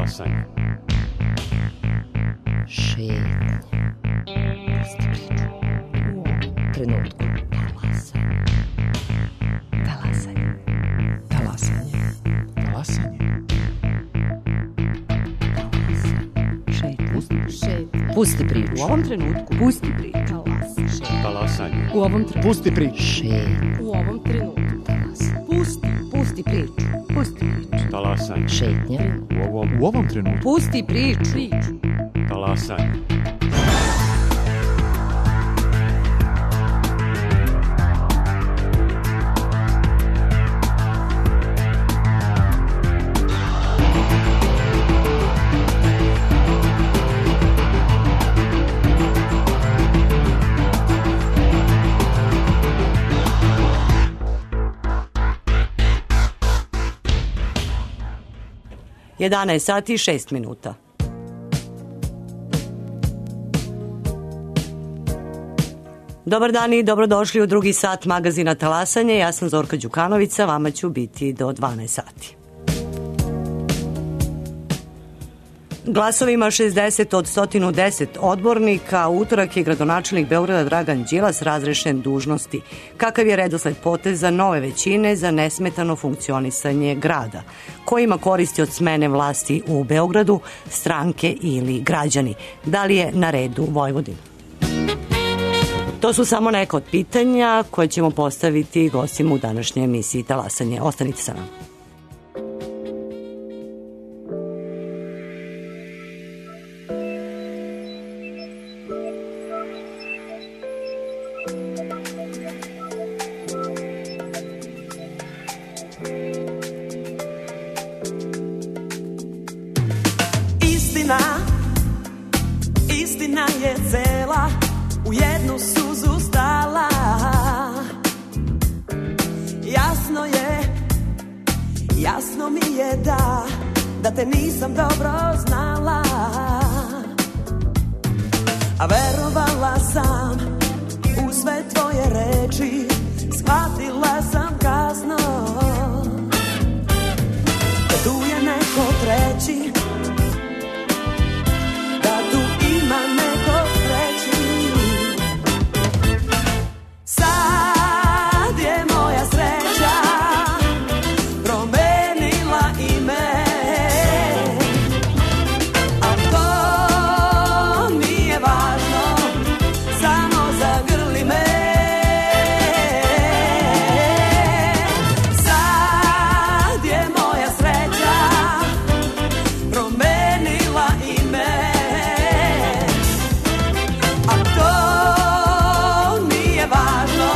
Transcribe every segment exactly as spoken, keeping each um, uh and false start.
Talasanje. Šetnje. Pusti priču. U ovom trenutku. Talasanje. Talasanje. Talasanje. Šetnje. Pusti priču. U ovom trenutku. Pusti priču. Talasanje. U ovom trenutku. Pusti priču. Šetnje. U ovom trenutku. Talasanje. Pusti. Pusti priču. Pusti priču. Talasanje. Šetnje. U ovom, u ovom trenutku. Pusti priču. Priču. Talasanje. jedanaest sati i šest minuta. Dobar dan i dobrodošli u drugi sat magazina Talasanje. Ja sam Zorka Đukanovica, vama ću biti do dvanaest sati. Glasovima šezdeset od sto deset odbornika, u utorak je gradonačelnik Beograda Dragan Đilas razrešen dužnosti. Kakav je redosled poteza nove većine za nesmetano funkcionisanje grada? Ko ima koristi od smene vlasti u Beogradu, stranke ili građani? Da li je na redu Vojvodin? To su samo neka od pitanja koje ćemo postaviti gostima u današnjoj emisiji Talasanje. Ostanite sa nama. Istina, istina je cela, u jednu suzu stala. Jasno je, jasno mi je da, da te nisam dobro znala. A verovala sam u sve tvoje reči, shvatila sam kasno da tu je neko treći, da tu ima neko treći. Sad je moja sreća promenila ime, a to nije važno, samo zagrli me. Sad je moja sreća promenila ime, a to nije važno,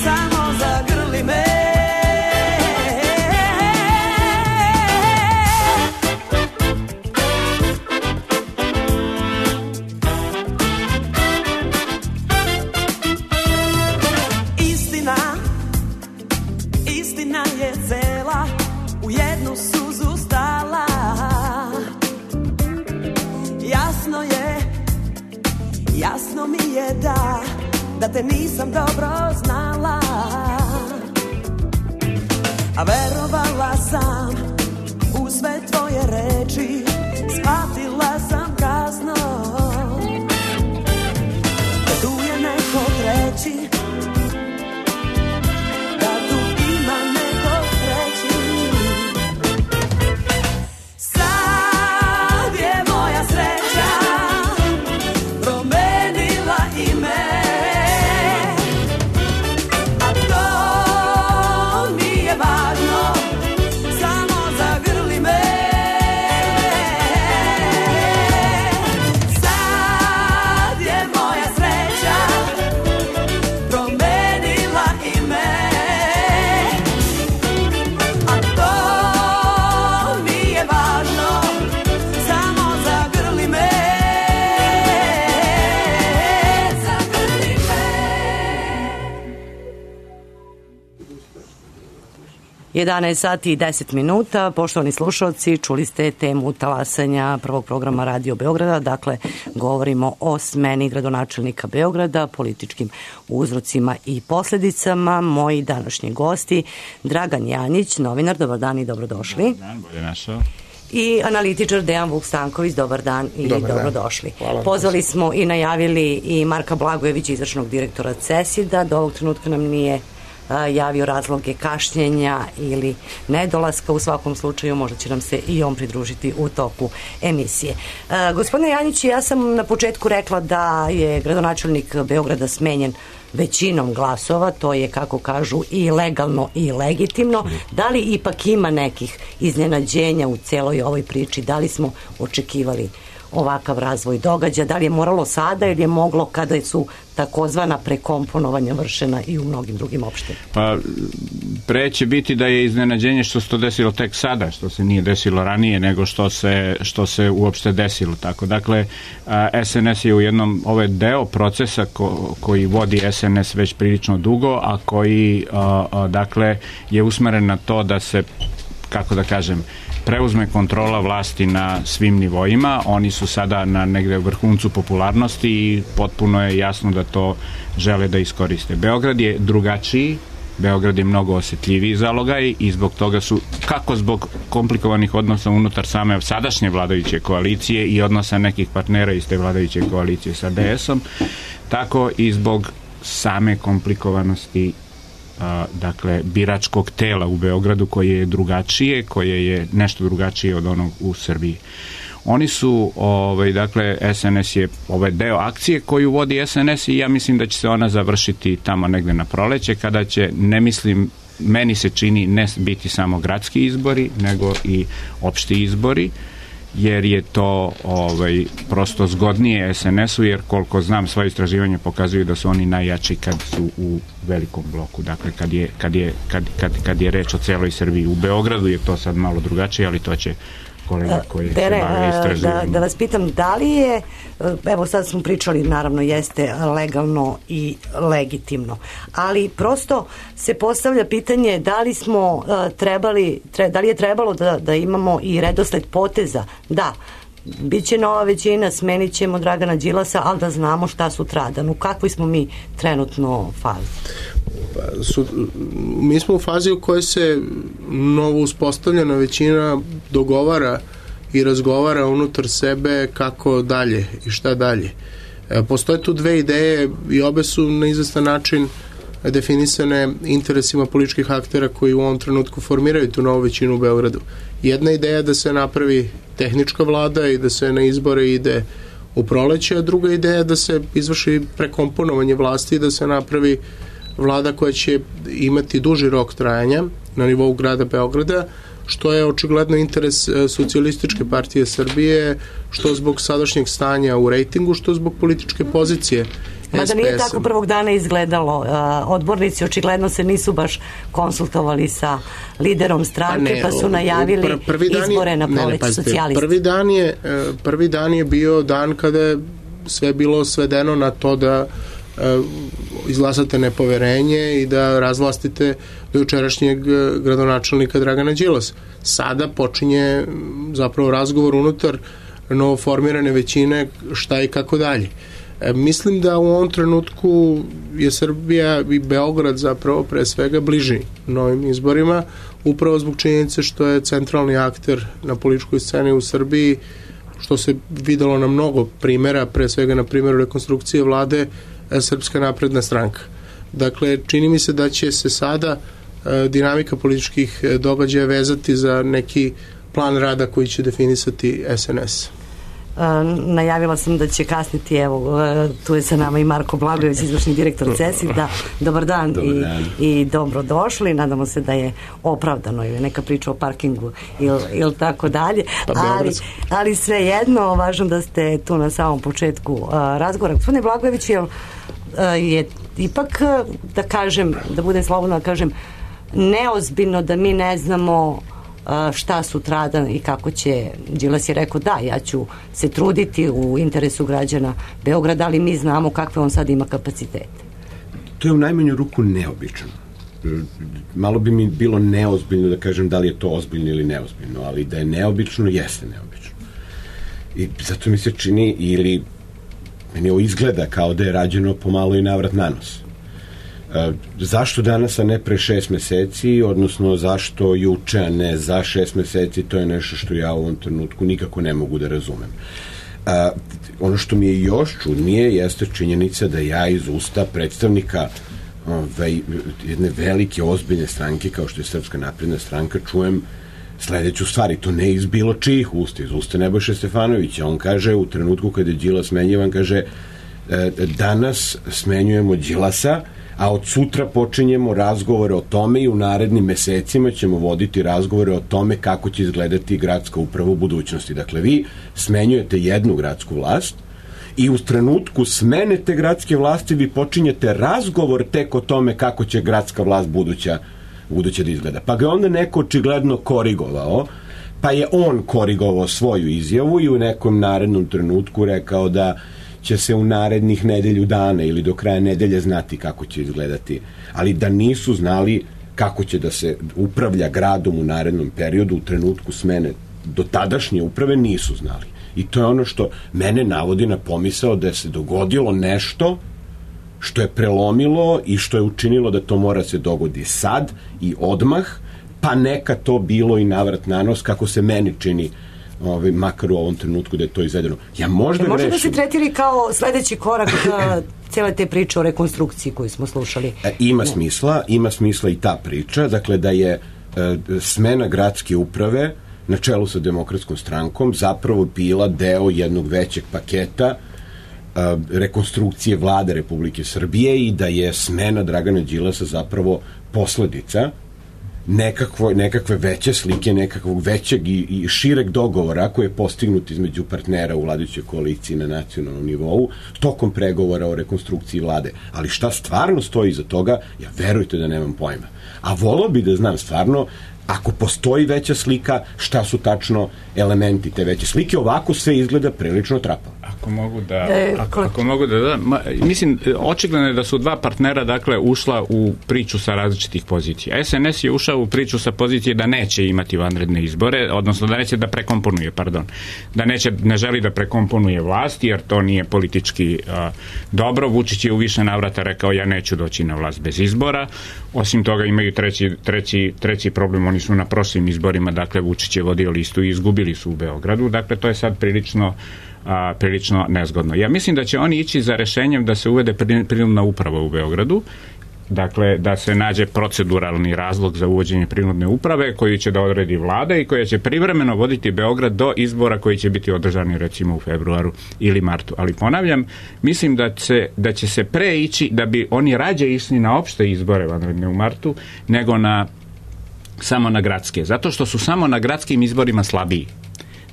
samo zagrli me. Istina, istina je cela, u jednu suzu stala. Jasno je, jasno mi je da, da te nisam dobro znala. A verovala sam u sve tvoje reči, shvatila sam kasno da tu je neko treći, da tu ima neko treći. Sad je moja sreća promenila ime, a to nije važno, samo zagrli me. Sad je moja sreća promenila ime, a to nije važno, samo zagrli me. Zagrli me. jedanaest sati i deset minuta. Poštovani slušalci, čuli ste temu talasanja prvog programa Radio Beograda. Dakle, govorimo o smeni gradonačelnika Beograda, političkim uzrocima i posledicama. Moji današnji gosti, Dragan Janjić, novinar, dobar dan i dobrodošli. Dobar dan, bolje našao. i analitičar Dejan Vuk Stanković. Dobar dan i Dobar dobrodošli. Dan. Pozvali smo i najavili i Marka Blagojevića, izvršnog direktora CESID-a. Do ovog trenutka nam nije a, javio razloge kašnjenja ili nedolaska. U svakom slučaju možda će nam se i on pridružiti u toku emisije. A, gospodine Janjić, ja sam na početku rekla da je gradonačelnik Beograda smenjen većinom glasova, to je, kako kažu, i legalno i legitimno. Da li ipak ima nekih iznenađenja u celoj ovoj priči? Da li smo očekivali ovakav razvoj događaja? Da li je moralo sada ili je moglo kada su takozvana prekomponovanja vršena i u mnogim drugim opštinama? Pa pre će biti da je iznenađenje što se to desilo tek sada, što se nije desilo ranije nego što se, što se uopšte desilo tako. Dakle, S N S je u jednom, ovo je deo procesa ko, koji vodi S N S već prilično dugo, a koji a, a, dakle je usmeren na to da se, kako da kažem, preuzme kontrola vlasti na svim nivoima. Oni su sada na negde vrhuncu popularnosti i potpuno je jasno da to žele da iskoriste. Beograd je drugačiji, Beograd je mnogo osetljiviji zalogaj i zbog toga su, kako zbog komplikovanih odnosa unutar same sadašnje vladajuće koalicije i odnosa nekih partnera iz te vladajuće koalicije sa D S-om, tako i zbog same komplikovanosti dakle biračkog tela u Beogradu, koje je drugačije, koje je nešto drugačije od onog u Srbiji. Oni su, ovaj, dakle, S N S je ovaj deo akcije koju vodi S N S i ja mislim da će se ona završiti tamo negde na proleće, kada će, ne mislim, meni se čini, ne biti samo gradski izbori, nego i opšti izbori, jer je to ovaj, prosto zgodnije S N S-u, jer koliko znam, svoje istraživanje pokazuju da su oni najjači kad su u velikom bloku, dakle kad je, kad je, kad, kad, kad je reč o celoj Srbiji. U Beogradu je to sad malo drugačije, ali to će kolega koji Dere, se bave istraživanjem. Da, da vas pitam, da li je, evo sad smo pričali, naravno jeste legalno i legitimno, ali prosto se postavlja pitanje da li smo uh, trebali, tre, da li je trebalo da, da imamo i redosled poteza, da, biće nova većina, smenit ćemo Dragana Đilasa, ali da znamo šta sutradan, u kakvoj smo mi trenutno fazi? Pa, su, mi smo u fazi u kojoj se novo uspostavljena većina dogovara i razgovara unutar sebe kako dalje i šta dalje. E, postoje tu dve ideje i obe su na izvestan način definisane interesima političkih aktera koji u ovom trenutku formiraju tu novu većinu u Beogradu. Jedna ideja je da se napravi tehnička vlada i da se na izbore ide u proleće, a druga ideja je da se izvrši prekomponovanje vlasti i da se napravi vlada koja će imati duži rok trajanja na nivou grada Beograda, što je očigledno interes Socijalističke partije Srbije, što zbog sadašnjeg stanja u rejtingu, što zbog političke pozicije S P S-a. Mada nije tako prvog dana izgledalo. Odbornici očigledno se nisu baš konsultovali sa liderom stranke, pa, ne, pa su najavili pr prvi dan je, izbore na proleće socijalisti. Prvi dan, je, prvi dan je bio dan kada je sve bilo svedeno na to da izglasate nepoverenje i da razvlastite do jučerašnjeg gradonačelnika Dragana Đilasa. Sada počinje zapravo razgovor unutar novoformirane većine šta i kako dalje. E, mislim da u ovom trenutku je Srbija i Beograd zapravo pre svega bliži novim izborima, upravo zbog činjenice što je centralni akter na političkoj sceni u Srbiji, što se videlo na mnogo primjera, pre svega na primjeru rekonstrukcije vlade Srpska napredna stranka. Dakle, čini mi se da će se sada e, dinamika političkih događaja vezati za neki plan rada koji će definisati S N S. Uh, najavila sam da će kasniti, evo, uh, tu je sa nama i Marko Blagojević, izvršni direktor CESID-a. Dobar dan, Dobar dan. I, i dobrodošli. Nadamo se da je opravdano ili neka priča o parkingu ili, ili tako dalje. Pa, ali, ali sve jedno, važno da ste tu na samom početku uh, razgovora. Gospodine Blagojević, je, uh, je ipak, uh, da kažem, da budem slobodno da kažem, neozbiljno da mi ne znamo šta sutradan i kako će. Đilas je rekao da, ja ću se truditi u interesu građana Beograda, ali mi znamo kakve on sad ima kapacitete. To je u najmanju ruku neobično. Malo bi mi bilo neozbiljno da kažem da li je to ozbiljno ili neozbiljno, ali da je neobično, jeste neobično. I zato mi se čini, ili meni ovo izgleda kao da je rađeno pomalo i navrat na nos. E, zašto danas, a ne pre šest meseci, odnosno zašto juče, a ne za šest meseci, to je nešto što ja u ovom trenutku nikako ne mogu da razumem. E, ono što mi je još čudnije jeste činjenica da ja iz usta predstavnika ove, jedne velike, ozbiljne stranke kao što je Srpska napredna stranka čujem sledeću stvari, to ne iz bilo čijih usta, iz usta Nebojše Stefanovića. On kaže u trenutku kada je Đilas smenjivan, kaže danas smenjujemo Đilasa, a od sutra počinjemo razgovore o tome i u narednim mesecima ćemo voditi razgovore o tome kako će izgledati gradska uprava u budućnosti. Dakle, vi smenjujete jednu gradsku vlast i u trenutku smene te gradske vlasti vi počinjete razgovor tek o tome kako će gradska vlast buduća, buduća da izgleda. Pa ga onda neko očigledno korigovao, pa je on korigovao svoju izjavu i u nekom narednom trenutku rekao da će se u narednih nedelju dana ili do kraja nedelje znati kako će izgledati. Ali da nisu znali kako će da se upravlja gradom u narednom periodu, u trenutku smene do tadašnje uprave nisu znali. I to je ono što mene navodi na pomisao da se dogodilo nešto što je prelomilo i što je učinilo da to mora se dogodi sad i odmah, pa neka to bilo i navrat na nos, kako se meni čini, ovaj, makar u ovom trenutku da je to izvedeno. Ja možda grešim. Možda da se tretiri kao sledeći korak cijele te priče o rekonstrukciji koju smo slušali. E, ima ne. smisla, ima smisla i ta priča, dakle da je e, smena gradske uprave na čelu sa Demokratskom strankom zapravo bila deo jednog većeg paketa a, rekonstrukcije vlade Republike Srbije i da je smena Dragana Đilasa zapravo posledica nekakvo, nekakve veće slike, nekakvog većeg i, i šireg dogovora koji je postignut između partnera u vladajućoj koaliciji na nacionalnom nivou tokom pregovora o rekonstrukciji vlade. Ali šta stvarno stoji iza toga, ja verujte da nemam pojma. A volao bi da znam stvarno, ako postoji veća slika, šta su tačno elementi te veće slike. Ovako sve izgleda prilično trapavo. Ako mogu da, e, ako, ako mogu da, da ma, mislim, očigledno je da su dva partnera, dakle, ušla u priču sa različitih pozicija. es en es je ušao u priču sa pozicije da neće imati vanredne izbore, odnosno da neće da prekomponuje, pardon, da neće, ne želi da prekomponuje vlast, jer to nije politički a, dobro. Vučić je u više navrata rekao, ja neću doći na vlast bez izbora. Osim toga imaju treći, treći, treći problem, oni su na prošlim izborima, dakle, Vučić je vodio listu i izgubili su u Beogradu, dakle, to je sad prilično A, prilično nezgodno. Ja mislim da će oni ići za rešenjem da se uvede prinudna uprava u Beogradu, dakle da se nađe proceduralni razlog za uvođenje prinudne uprave koju će da odredi vlada i koja će privremeno voditi Beograd do izbora koji će biti održani recimo u februaru ili martu. Ali ponavljam, mislim da, se, da će se pre ići, da bi oni rađe išli na opšte izbore vanredne u martu nego na samo na gradske, zato što su samo na gradskim izborima slabiji.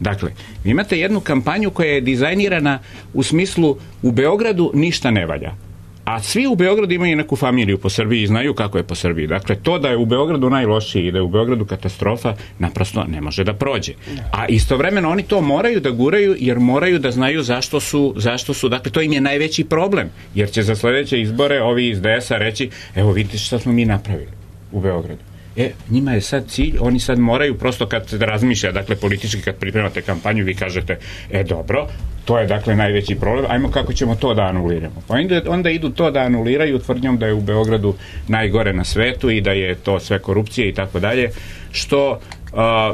Dakle, vi imate jednu kampanju koja je dizajnirana u smislu u Beogradu ništa ne valja. A svi u Beogradu imaju neku familiju po Srbiji i znaju kako je po Srbiji. Dakle, to da je u Beogradu najlošiji i da je u Beogradu katastrofa naprosto ne može da prođe. A istovremeno oni to moraju da guraju jer moraju da znaju zašto su, zašto su, dakle, to im je najveći problem. Jer će za sledeće izbore ovi iz de esa reći, evo vidite šta smo mi napravili u Beogradu. E, njima je sad cilj, oni sad moraju prosto kad se razmišlja, dakle politički kad pripremate kampanju vi kažete, e dobro, to je dakle najveći problem, ajmo kako ćemo to da anuliramo. Pa onda, onda idu to da anuliraju tvrdnjom da je u Beogradu najgore na svetu i da je to sve korupcije i tako dalje, što a,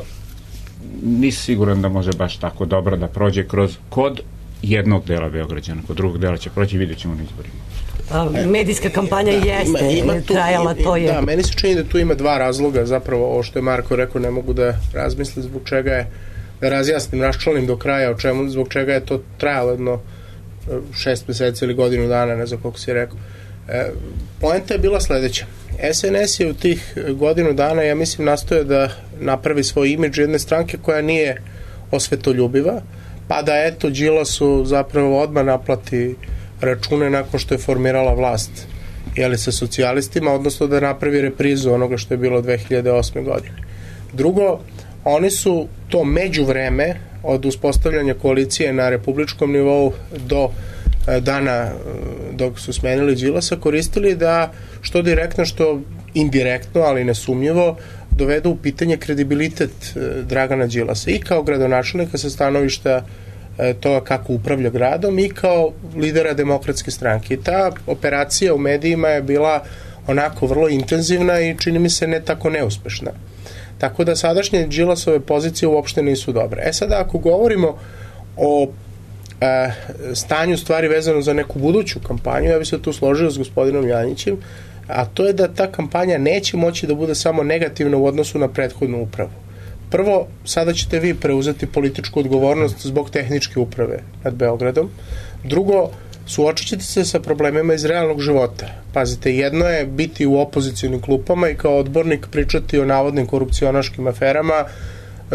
nisi siguran da može baš tako dobro da prođe kroz kod jednog dela Beograđana, kod drugog dela će proći, vidjet ćemo na izborima. A, medijska kampanja da, jeste ima, ima tu, trajala, to je... Da, meni se čini da tu ima dva razloga, zapravo ovo što je Marko rekao, ne mogu da razmislim zbog čega je, da razjasnim, raščlanim do kraja o čemu, zbog čega je to trajalo jedno šest meseci ili godinu dana, ne znam koliko si rekao. E, poenta je bila sledeća. es en es je u tih godinu dana, ja mislim, nastoje da napravi svoj imidž jedne stranke koja nije osvetoljubiva, pa da eto Đilasu zapravo odmah naplati račune nakon što je formirala vlast, jeli, sa socijalistima, odnosno da napravi reprizu onoga što je bilo dve hiljade osme godine. Drugo, oni su to međuvreme od uspostavljanja koalicije na republičkom nivou do dana dok su smenili Đilasa koristili da što direktno, što indirektno, ali nesumnjivo, dovedu u pitanje kredibilitet Dragana Đilasa i kao gradonačelnika sa stanovišta toga kako upravlja gradom i kao lidera Demokratske stranke. I ta operacija u medijima je bila onako vrlo intenzivna i čini mi se ne tako neuspešna. Tako da sadašnje Đilasove pozicije uopšte nisu dobre. E sada ako govorimo o e, stanju stvari vezano za neku buduću kampanju, ja bih se tu složio s gospodinom Janjićem, a to je da ta kampanja neće moći da bude samo negativna u odnosu na prethodnu upravu. Prvo, sada ćete vi preuzeti političku odgovornost zbog tehničke uprave nad Beogradom. Drugo, suočit ćete se sa problemima iz realnog života. Pazite, jedno je biti u opozicionim klupama i kao odbornik pričati o navodnim korupcionaškim aferama,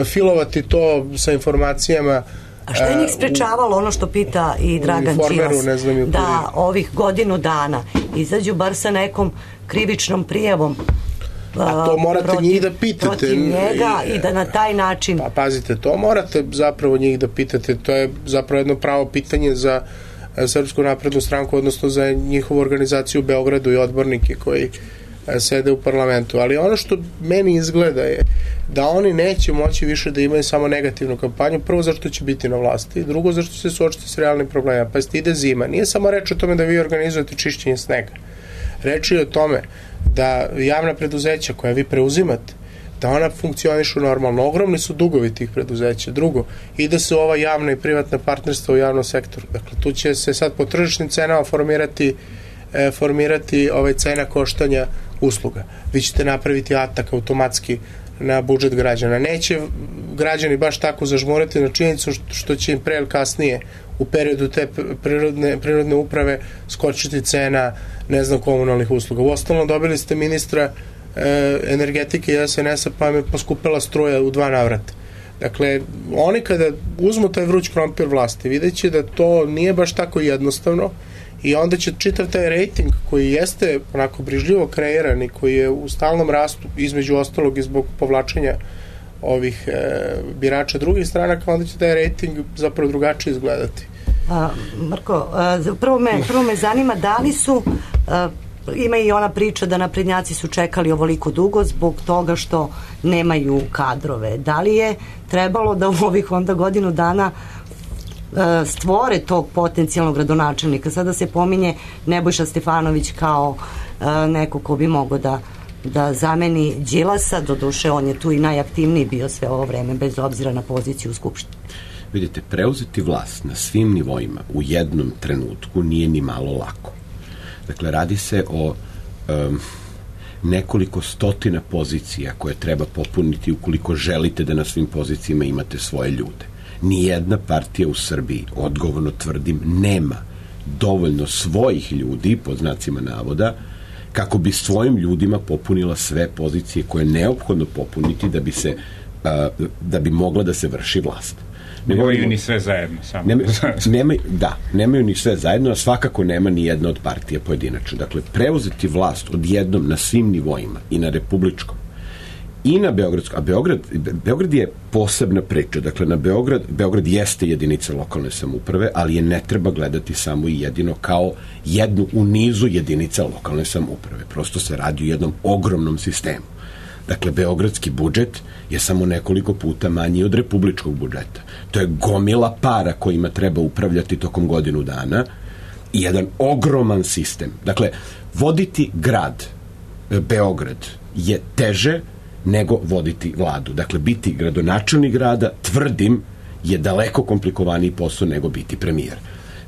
filovati to sa informacijama. A što je njih sprečavalo, ono što pita i Dragan Đilas, da ovih godinu dana izađu bar sa nekom krivičnom prijavom a to morate protiv, njih da pitate protiv njega i, i da na taj način pa pazite, to morate zapravo njih da pitate, to je zapravo jedno pravo pitanje za Srpsku naprednu stranku, odnosno za njihovu organizaciju u Beogradu i odbornike koji sede u parlamentu, ali ono što meni izgleda je da oni neće moći više da imaju samo negativnu kampanju, prvo zašto će biti na vlasti, drugo zašto se suočiti s realnim problemima, pa ide zima, nije samo reč o tome da vi organizujete čišćenje snega, reč je o tome da javna preduzeća koja vi preuzimate, da ona funkcionišu normalno. Ogromni su dugovi tih preduzeća. Drugo, ide se ova javna i privatna partnerstva u javnom sektoru. Dakle, tu će se sad po tržišnim cenama formirati, e, formirati ovaj cena koštanja usluga. Vi ćete napraviti atak automatski na budžet građana. Neće građani baš tako zažmurati na činjenicu što će im pre ili kasnije u periodu te prirodne, prirodne uprave skočiti cena, ne znam, komunalnih usluga. Uostalno dobili ste ministra e, energetike i S N S-a, pa mi je poskupila struja u dva navrata. Dakle, oni kada uzmu taj vruć krompir vlasti, vidjet će da to nije baš tako jednostavno i onda će čitav taj rejting koji jeste onako brižljivo kreiran i koji je u stalnom rastu, između ostalog i zbog povlačenja ovih e, birača drugih stranaka, onda će taj rejting zapravo drugačije izgledati. A, Marko, a, prvo, me, prvo me zanima da li su, a, ima i ona priča da naprednjaci su čekali ovoliko dugo zbog toga što nemaju kadrove. Da li je trebalo da u ovih onda godinu dana a, stvore tog potencijalnog gradonačelnika? Sada se pominje Nebojša Stefanović kao a, neko ko bi mogao da da zameni Đilasa, doduše on je tu i najaktivniji bio sve ovo vreme, bez obzira na poziciju u Skupštini. Vidite, preuzeti vlast na svim nivoima u jednom trenutku nije ni malo lako. Dakle, radi se o um, nekoliko stotina pozicija koje treba popuniti ukoliko želite da na svim pozicijama imate svoje ljude. Nijedna partija u Srbiji, odgovorno tvrdim, nema dovoljno svojih ljudi, pod znacima navoda, kako bi svojim ljudima popunila sve pozicije koje je neophodno popuniti da bi se uh, da bi mogla da se vrši vlast. Nemaju ni sve zajedno. Samo. Nema, nemaj, da, nemaju ni sve zajedno, a svakako nema ni jedna od partija pojedinačno. Dakle, preuzeti vlast odjednom na svim nivoima, i na republičkom, i na beogradskom, a Beograd, Beograd je posebna priča. Dakle, na Beograd, Beograd jeste jedinica lokalne samouprave, ali je ne treba gledati samo i jedino kao jednu u nizu jedinica lokalne samouprave. Prosto se radi o jednom ogromnom sistemu. Dakle, beogradski budžet je samo nekoliko puta manji od republičkog budžeta. To je gomila para kojima treba upravljati tokom godinu dana i jedan ogroman sistem. Dakle, voditi grad, Beograd, je teže nego voditi vladu. Dakle, biti gradonačelnik grada, tvrdim, je daleko komplikovaniji posao nego biti premijer.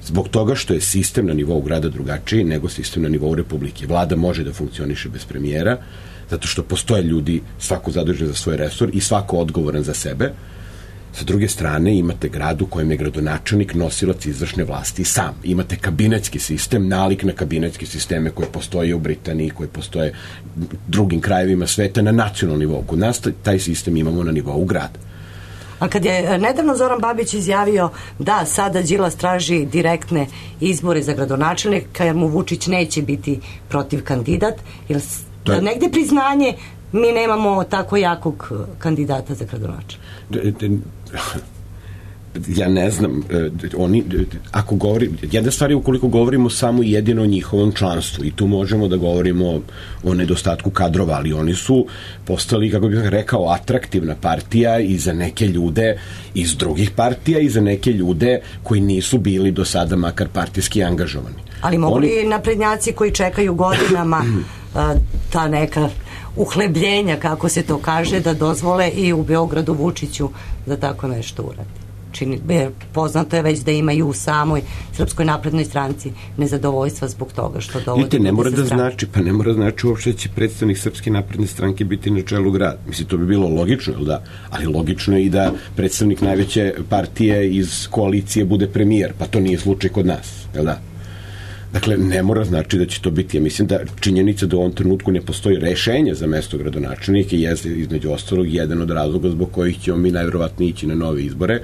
Zbog toga što je sistem na nivou grada drugačiji nego sistem na nivou republike. Vlada može da funkcioniše bez premijera, zato što postoje ljudi, svako zadužen za svoj resor i svako odgovoran za sebe. Sa druge strane, imate grad u kojem je gradonačelnik nosilac izvršne vlasti sam. Imate kabinetski sistem, nalik na kabinetske sisteme koje postoje u Britaniji, koje postoje u drugim krajevima sveta na nacionalnom nivou. Kod nas taj sistem imamo na nivou grada. A kad je nedavno Zoran Babić izjavio da sada Đilas traži direktne izbore za gradonačelnika jer mu Vučić neće biti protiv kandidat, jer da je negde priznanje mi nemamo tako jakog kandidata za gradonačelnika. Ja ne znam, oni, ako govori, jedna stvar je ukoliko govorimo samo jedino o njihovom članstvu i tu možemo da govorimo o nedostatku kadrova, ali oni su postali, kako bih rekao, atraktivna partija i za neke ljude iz drugih partija i za neke ljude koji nisu bili do sada makar partijski angažovani. Ali mogu li naprednjaci koji čekaju godinama a, ta neka uhlebljenja, kako se to kaže, da dozvole i u Beogradu Vučiću da tako nešto uradi. Čini, poznato je već da imaju u samoj Srpskoj naprednoj stranci nezadovoljstva zbog toga što dovodi. Vidite, ne mora da znači, pa ne mora znači uopšte će predstavnik Srpske napredne stranke biti na čelu grada. Mislim, to bi bilo logično, jel da? Ali logično je i da predstavnik najveće partije iz koalicije bude premijer, pa to nije slučaj kod nas, jel da? Dakle, ne mora znači da će to biti. Ja mislim da činjenica da u ovom trenutku ne postoji rešenje za mesto gradonačelnika je između ostalog jedan od razloga zbog kojih ćemo mi najverovatnije ići na nove izbore,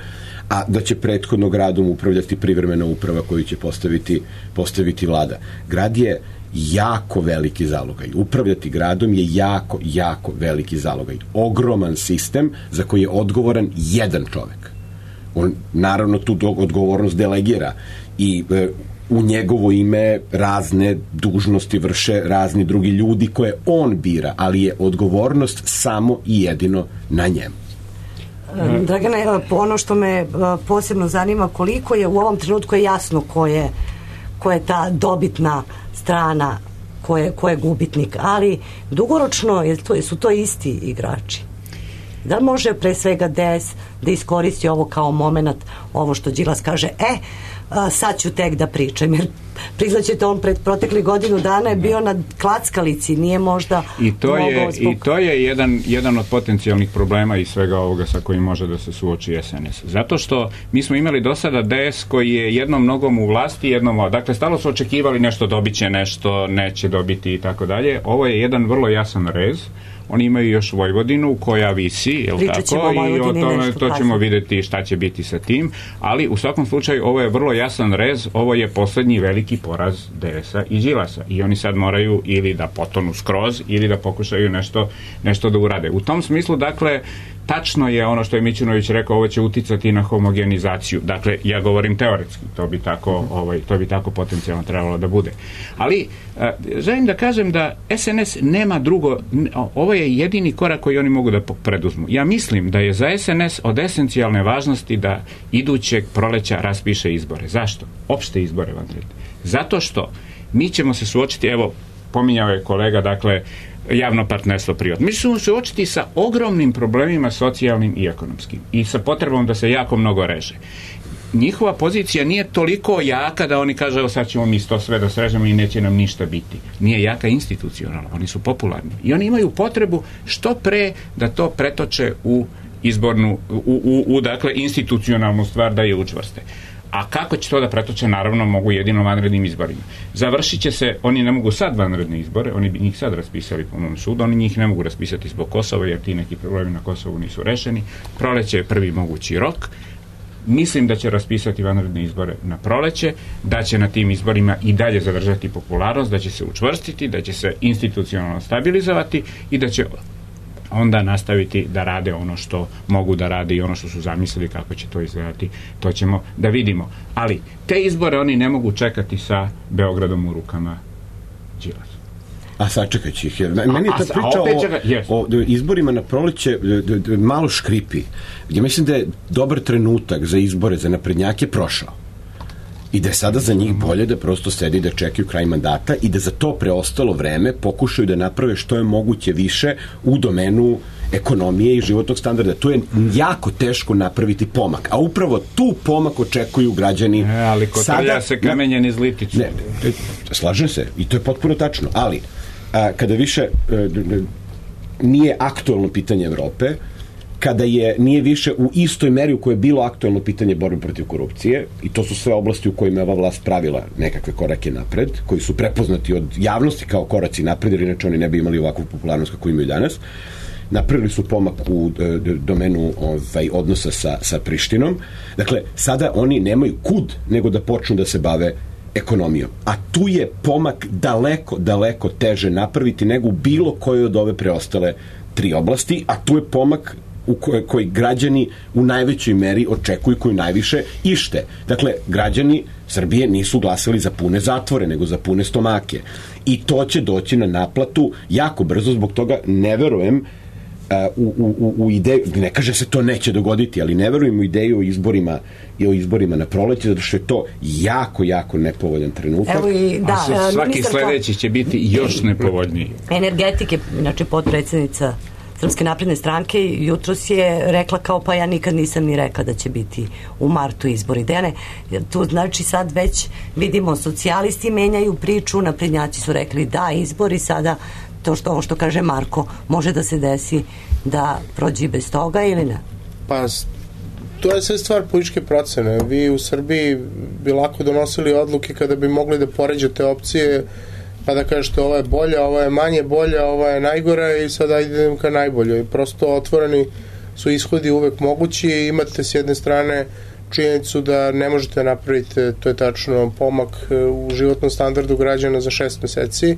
a da će prethodno gradom upravljati privremena uprava koju će postaviti, postaviti vlada. Grad je jako veliki zalogaj. Upravljati gradom je jako, jako veliki zalogaj. Ogroman sistem za koji je odgovoran jedan čovek. On naravno tu odgovornost delegira i e, u njegovo ime razne dužnosti vrše razni drugi ljudi koje on bira, ali je odgovornost samo i jedino na njemu. Dragane, ono što me posebno zanima, koliko je u ovom trenutku je jasno ko je, ko je ta dobitna strana, ko je, ko je gubitnik, ali dugoročno je to, su to isti igrači. Da li može pre svega D S da iskoristi ovo kao moment, ovo što Đilas kaže, e, sad ću tek da pričam, jer priznaćete, on pred protekli godinu dana je bio na klackalici, nije možda I to je, zbog... i to je jedan, jedan od potencijalnih problema i svega ovoga sa kojim može da se suoči S N S. Zato što mi smo imali do sada D S koji je jednom nogom u vlasti, jednom, dakle, stalo su očekivali nešto dobit će, nešto neće dobiti i tako dalje. Ovo je jedan vrlo jasan rez. Oni imaju još Vojvodinu koja visi, jel tako? I o tome to ćemo vidjeti šta će biti sa tim, ali u svakom slučaju ovo je vrlo jasan rez, ovo je poslednji veliki poraz D S-a i Đilasa i oni sad moraju ili da potonu skroz ili da pokušaju nešto, nešto da urade. U tom smislu, dakle, tačno je ono što je Mićunović rekao, ovo će uticati na homogenizaciju. Dakle, ja govorim teoretski, to bi tako, ovaj, to bi tako potencijalno trebalo da bude. Ali, a, želim da kažem da S N S nema drugo, ovo je jedini korak koji oni mogu da preduzmu. Ja mislim da je za S N S od esencijalne važnosti da idućeg proleća raspiše izbore. Zašto? Opšte izbore, vanredne. Zato što mi ćemo se suočiti, evo, pominjao je kolega, dakle, javno partnerstvo privatno. Mi ćemo se suočiti sa ogromnim problemima socijalnim i ekonomskim i sa potrebom da se jako mnogo reže. Njihova pozicija nije toliko jaka da oni kažu, evo sad ćemo mi to sve da srežemo i neće nam ništa biti. Nije jaka institucionalno, oni su popularni. I oni imaju potrebu što pre da to pretoče u izbornu, u, u, u dakle, institucionalnu stvar da je učvrste. A kako će to da pretoče? Naravno, mogu jedino vanrednim izborima. Završit će se, oni ne mogu sad vanredne izbore, oni bi njih sad raspisali po mom sudu, oni njih ne mogu raspisati zbog Kosova, jer ti neki problemi na Kosovu nisu rešeni. Proleće je prvi mogući rok. Mislim da će raspisati vanredne izbore na proleće, da će na tim izborima i dalje zadržati popularnost, da će se učvrstiti, da će se institucionalno stabilizovati i da će onda nastaviti da rade ono što mogu da rade i ono što su zamislili kako će to izgledati, to ćemo da vidimo. Ali te izbore oni ne mogu čekati sa Beogradom u rukama Đilasa. A sačekat će ih. Jer meni je ta priča o, čeka, yes. o izborima na proleće malo škripi. Ja mislim da je dobar trenutak za izbore za naprednjake prošao. I da je sada za njih bolje da prosto sedi da čekaju kraj mandata i da za to preostalo vreme pokušaju da naprave što je moguće više u domenu ekonomije i životnog standarda. Tu je jako teško napraviti pomak. A upravo tu pomak očekuju građani. E, ali kotrlja se kamenjen iz liticu. Ne, slažem se. I to je potpuno tačno. Ali, a, kada više a, nije aktuelno pitanje Evrope, kada je, nije više u istoj meri u kojoj je bilo aktuelno pitanje borbe protiv korupcije, i to su sve oblasti u kojima je ova vlast pravila nekakve korake napred, koji su prepoznati od javnosti kao koraci napred, jer inače oni ne bi imali ovakvu popularnost kako imaju danas. Napravili su pomak u e, domenu ovaj, odnosa sa, sa Prištinom. Dakle, sada oni nemaju kud nego da počnu da se bave ekonomijom. A tu je pomak daleko, daleko teže napraviti nego u bilo kojoj od ove preostale tri oblasti, a tu je pomak u kojoj, koji građani u najvećoj meri očekuju, koju najviše ište. Dakle, građani Srbije nisu glasali za pune zatvore, nego za pune stomake. I to će doći na naplatu jako brzo, zbog toga ne verujem u, u, u ideju, ne kaže se to neće dogoditi, ali ne verujem u ideju o izborima i o izborima na proleće, zato što je to jako, jako nepovoljan trenutak. Evo i, da, A svaki ministarka sledeći će biti još nepovoljniji. energetike, znači potpredsjednica Srpske napredne stranke, jutros je rekla kao pa ja nikad nisam ni rekla da će biti u martu izbori. Dene, tu znači sad već vidimo socijalisti menjaju priču, naprednjaci su rekli da izbori, sada to što ovo što kaže Marko, može da se desi da prođe bez toga ili ne? Pa to je sve stvar političke procene. Vi u Srbiji bi lako donosili odluke kada bi mogli da poređate opcije, pa da kažete ovo je bolja, ovo je manje bolja, ovo je najgora i sada idem ka najboljoj. Prosto otvoreni su ishodi uvek mogući i imate s jedne strane činjenicu da ne možete napraviti, to je tačno, pomak u životnom standardu građana za šest meseci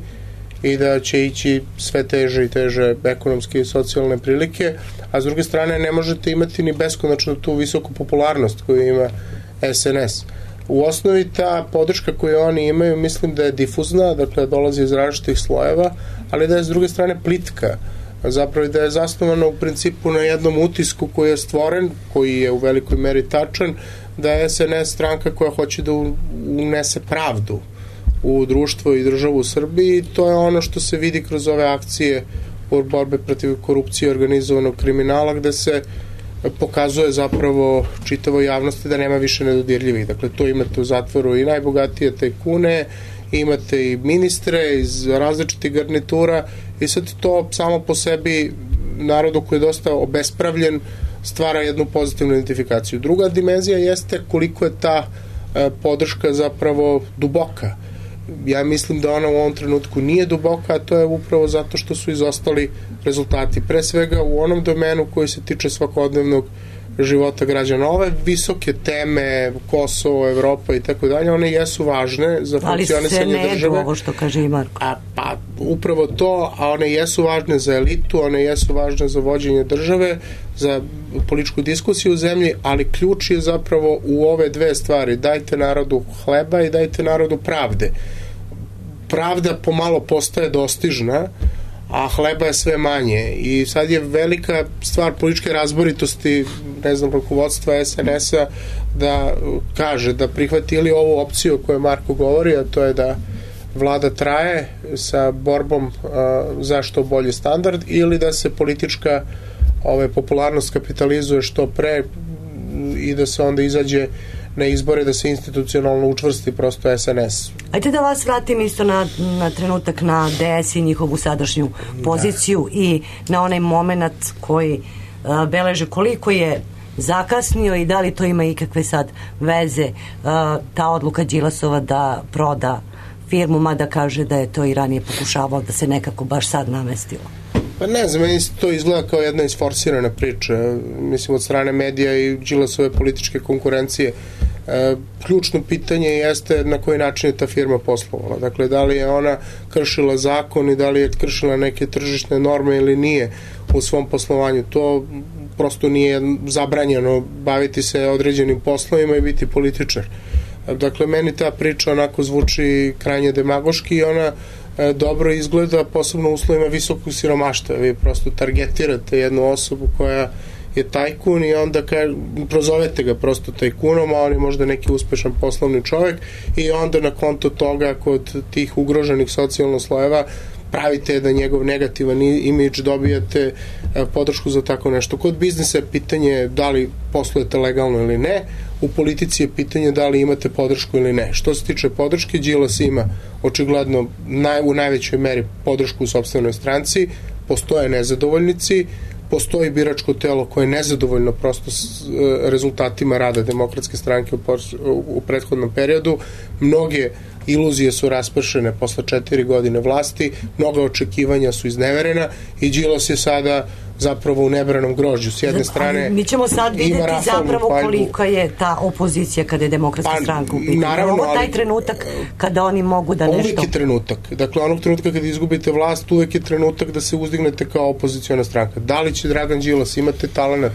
i da će ići sve teže i teže ekonomske i socijalne prilike, a s druge strane ne možete imati ni beskonačno tu visoku popularnost koju ima S N S. U osnovi ta podrška koju oni imaju, mislim da je difuzna, dakle dolazi iz različitih slojeva, ali da je s druge strane plitka, zapravo da je zasnovano u principu na jednom utisku koji je stvoren, koji je u velikoj meri tačan, da je S N S stranka koja hoće da unese pravdu u društvo i državu u Srbiji. To je ono što se vidi kroz ove akcije u borbe protiv korupcije i organizovanog kriminala, gde se pokazuje zapravo čitavoj javnosti da nema više nedodirljivih. Dakle, to imate u zatvoru i najbogatije tajkune, imate i ministre iz različitih garnitura i sad to samo po sebi narodu koji je dosta obespravljen stvara jednu pozitivnu identifikaciju. Druga dimenzija jeste koliko je ta e, podrška zapravo duboka. Ja mislim da ona u ovom trenutku nije duboka, a to je upravo zato što su izostali rezultati. Pre svega u onom domenu koji se tiče svakodnevnog života građana. Ove visoke teme, Kosovo, Evropa i tako dalje, one jesu važne za funkcionisanje države. Ali se ne jedu ovo što kaže i Marko. A, pa upravo to, a one jesu važne za elitu, one jesu važne za vođenje države, za političku diskusiju u zemlji, ali ključ je zapravo u ove dve stvari. Dajte narodu hleba i dajte narodu pravde. Pravda pomalo postaje dostižna, a hleba je sve manje i sad je velika stvar političke razboritosti, ne znam, rukovodstva S N S-a da kaže, da prihvati ili ovu opciju o kojoj Marko govori, a to je da vlada traje sa borbom a, za što bolji standard, ili da se politička ove, popularnost kapitalizuje što pre i da se onda izađe na izbore, da se institucionalno učvrsti prosto S N S. Ajde da vas vratim isto na, na trenutak na D S i njihovu sadašnju poziciju da. I na onaj moment koji a, beleže koliko je zakasnio i da li to ima ikakve sad veze a, ta odluka Đilasova da proda firmu, mada kaže da je to i ranije pokušavao da se nekako baš sad namestilo. Pa ne znam, meni to izgleda kao jedna isforsirana priča, mislim od strane medija i Đilasove političke konkurencije. E, ključno pitanje jeste na koji način je ta firma poslovala. Dakle, da li je ona kršila zakon i da li je kršila neke tržišne norme ili nije u svom poslovanju. To prosto nije zabranjeno baviti se određenim poslovima i biti političar. Dakle, meni ta priča onako zvuči krajnje demagoški i ona e, dobro izgleda, posebno u uslovima visokog siromaštva. Vi prosto targetirate jednu osobu koja je tajkun i onda ka, prozovete ga prosto tajkunom, a on je možda neki uspešan poslovni čovjek i onda na konto toga kod tih ugroženih socijalno slojeva pravite da njegov negativan imidž dobijate e, podršku za tako nešto. Kod biznisa je pitanje da li poslujete legalno ili ne, u politici je pitanje da li imate podršku ili ne. Što se tiče podrške, Đilas ima očigledno naj, u najvećoj meri podršku u sopstvenoj stranci, postoje nezadovoljnici, postoji biračko telo koje je nezadovoljno prosto s e, rezultatima rada Demokratske stranke u, u, u prethodnom periodu. Mnoge iluzije su raspršene posle četiri godine vlasti, mnoga očekivanja su izneverena i Đilas je sada zapravo u nebranom grožđu. S jedne strane ali mi ćemo sad vidjeti zapravo paljbu. Kolika je ta opozicija kada je Demokratska pa, stranka u pitanju. Naravno, ovo taj trenutak kada oni mogu da nešto... Uvijek je trenutak. Dakle, onog trenutka kada izgubite vlast, uvijek je trenutak da se uzdignete kao opoziciona stranka. Da li će Dragan Đilas imati talenat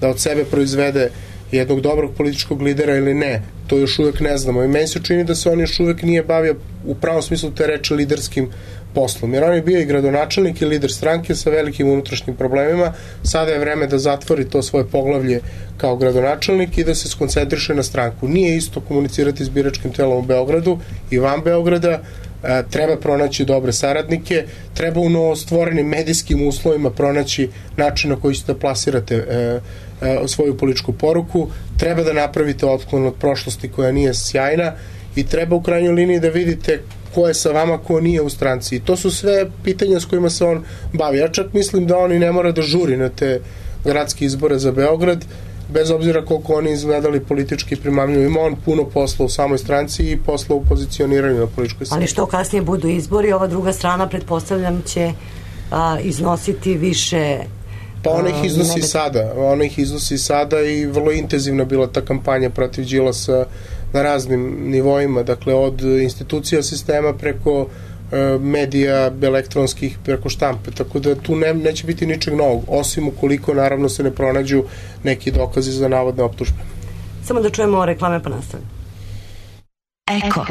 da od sebe proizvede jednog dobrog političkog lidera ili ne, to još uvijek ne znamo. I meni se čini da se on još uvijek nije bavio u pravom smislu te reči liderskim poslom. Jer on je bio i gradonačelnik i lider stranke sa velikim unutrašnjim problemima. Sada je vreme da zatvori to svoje poglavlje kao gradonačelnik i da se skoncentriše na stranku. Nije isto komunicirati s biračkim telom u Beogradu i van Beograda, treba pronaći dobre saradnike, treba u novostvorenim medijskim uslovima pronaći način na koji ćete da plasirate e, e, svoju političku poruku, treba da napravite otklon od prošlosti koja nije sjajna i treba u krajnjoj liniji da vidite ko je sa vama, ko nije u stranci. I to su sve pitanja s kojima se on bavi. Ja čak mislim da on i ne mora da žuri na te gradske izbore za Beograd, bez obzira koliko oni izgledali politički primamljivo. Ima on puno posla u samoj stranci i posla u pozicioniranju na političkoj sceni. Ali što kasnije budu izbori, ova druga strana, pretpostavljam, će a, iznositi više... Pa ona ih iznosi nebe... sada. Ona ih iznosi sada i vrlo intenzivna bila ta kampanja protiv Đilasa na raznim nivoima. Dakle, od institucija sistema preko medija elektronskih, preko štampe, tako da tu ne, neće biti ničeg novog, osim ukoliko naravno se ne pronađu neki dokazi za navodne optužbe. Samo da čujemo reklame pa nastavljamo. Eko.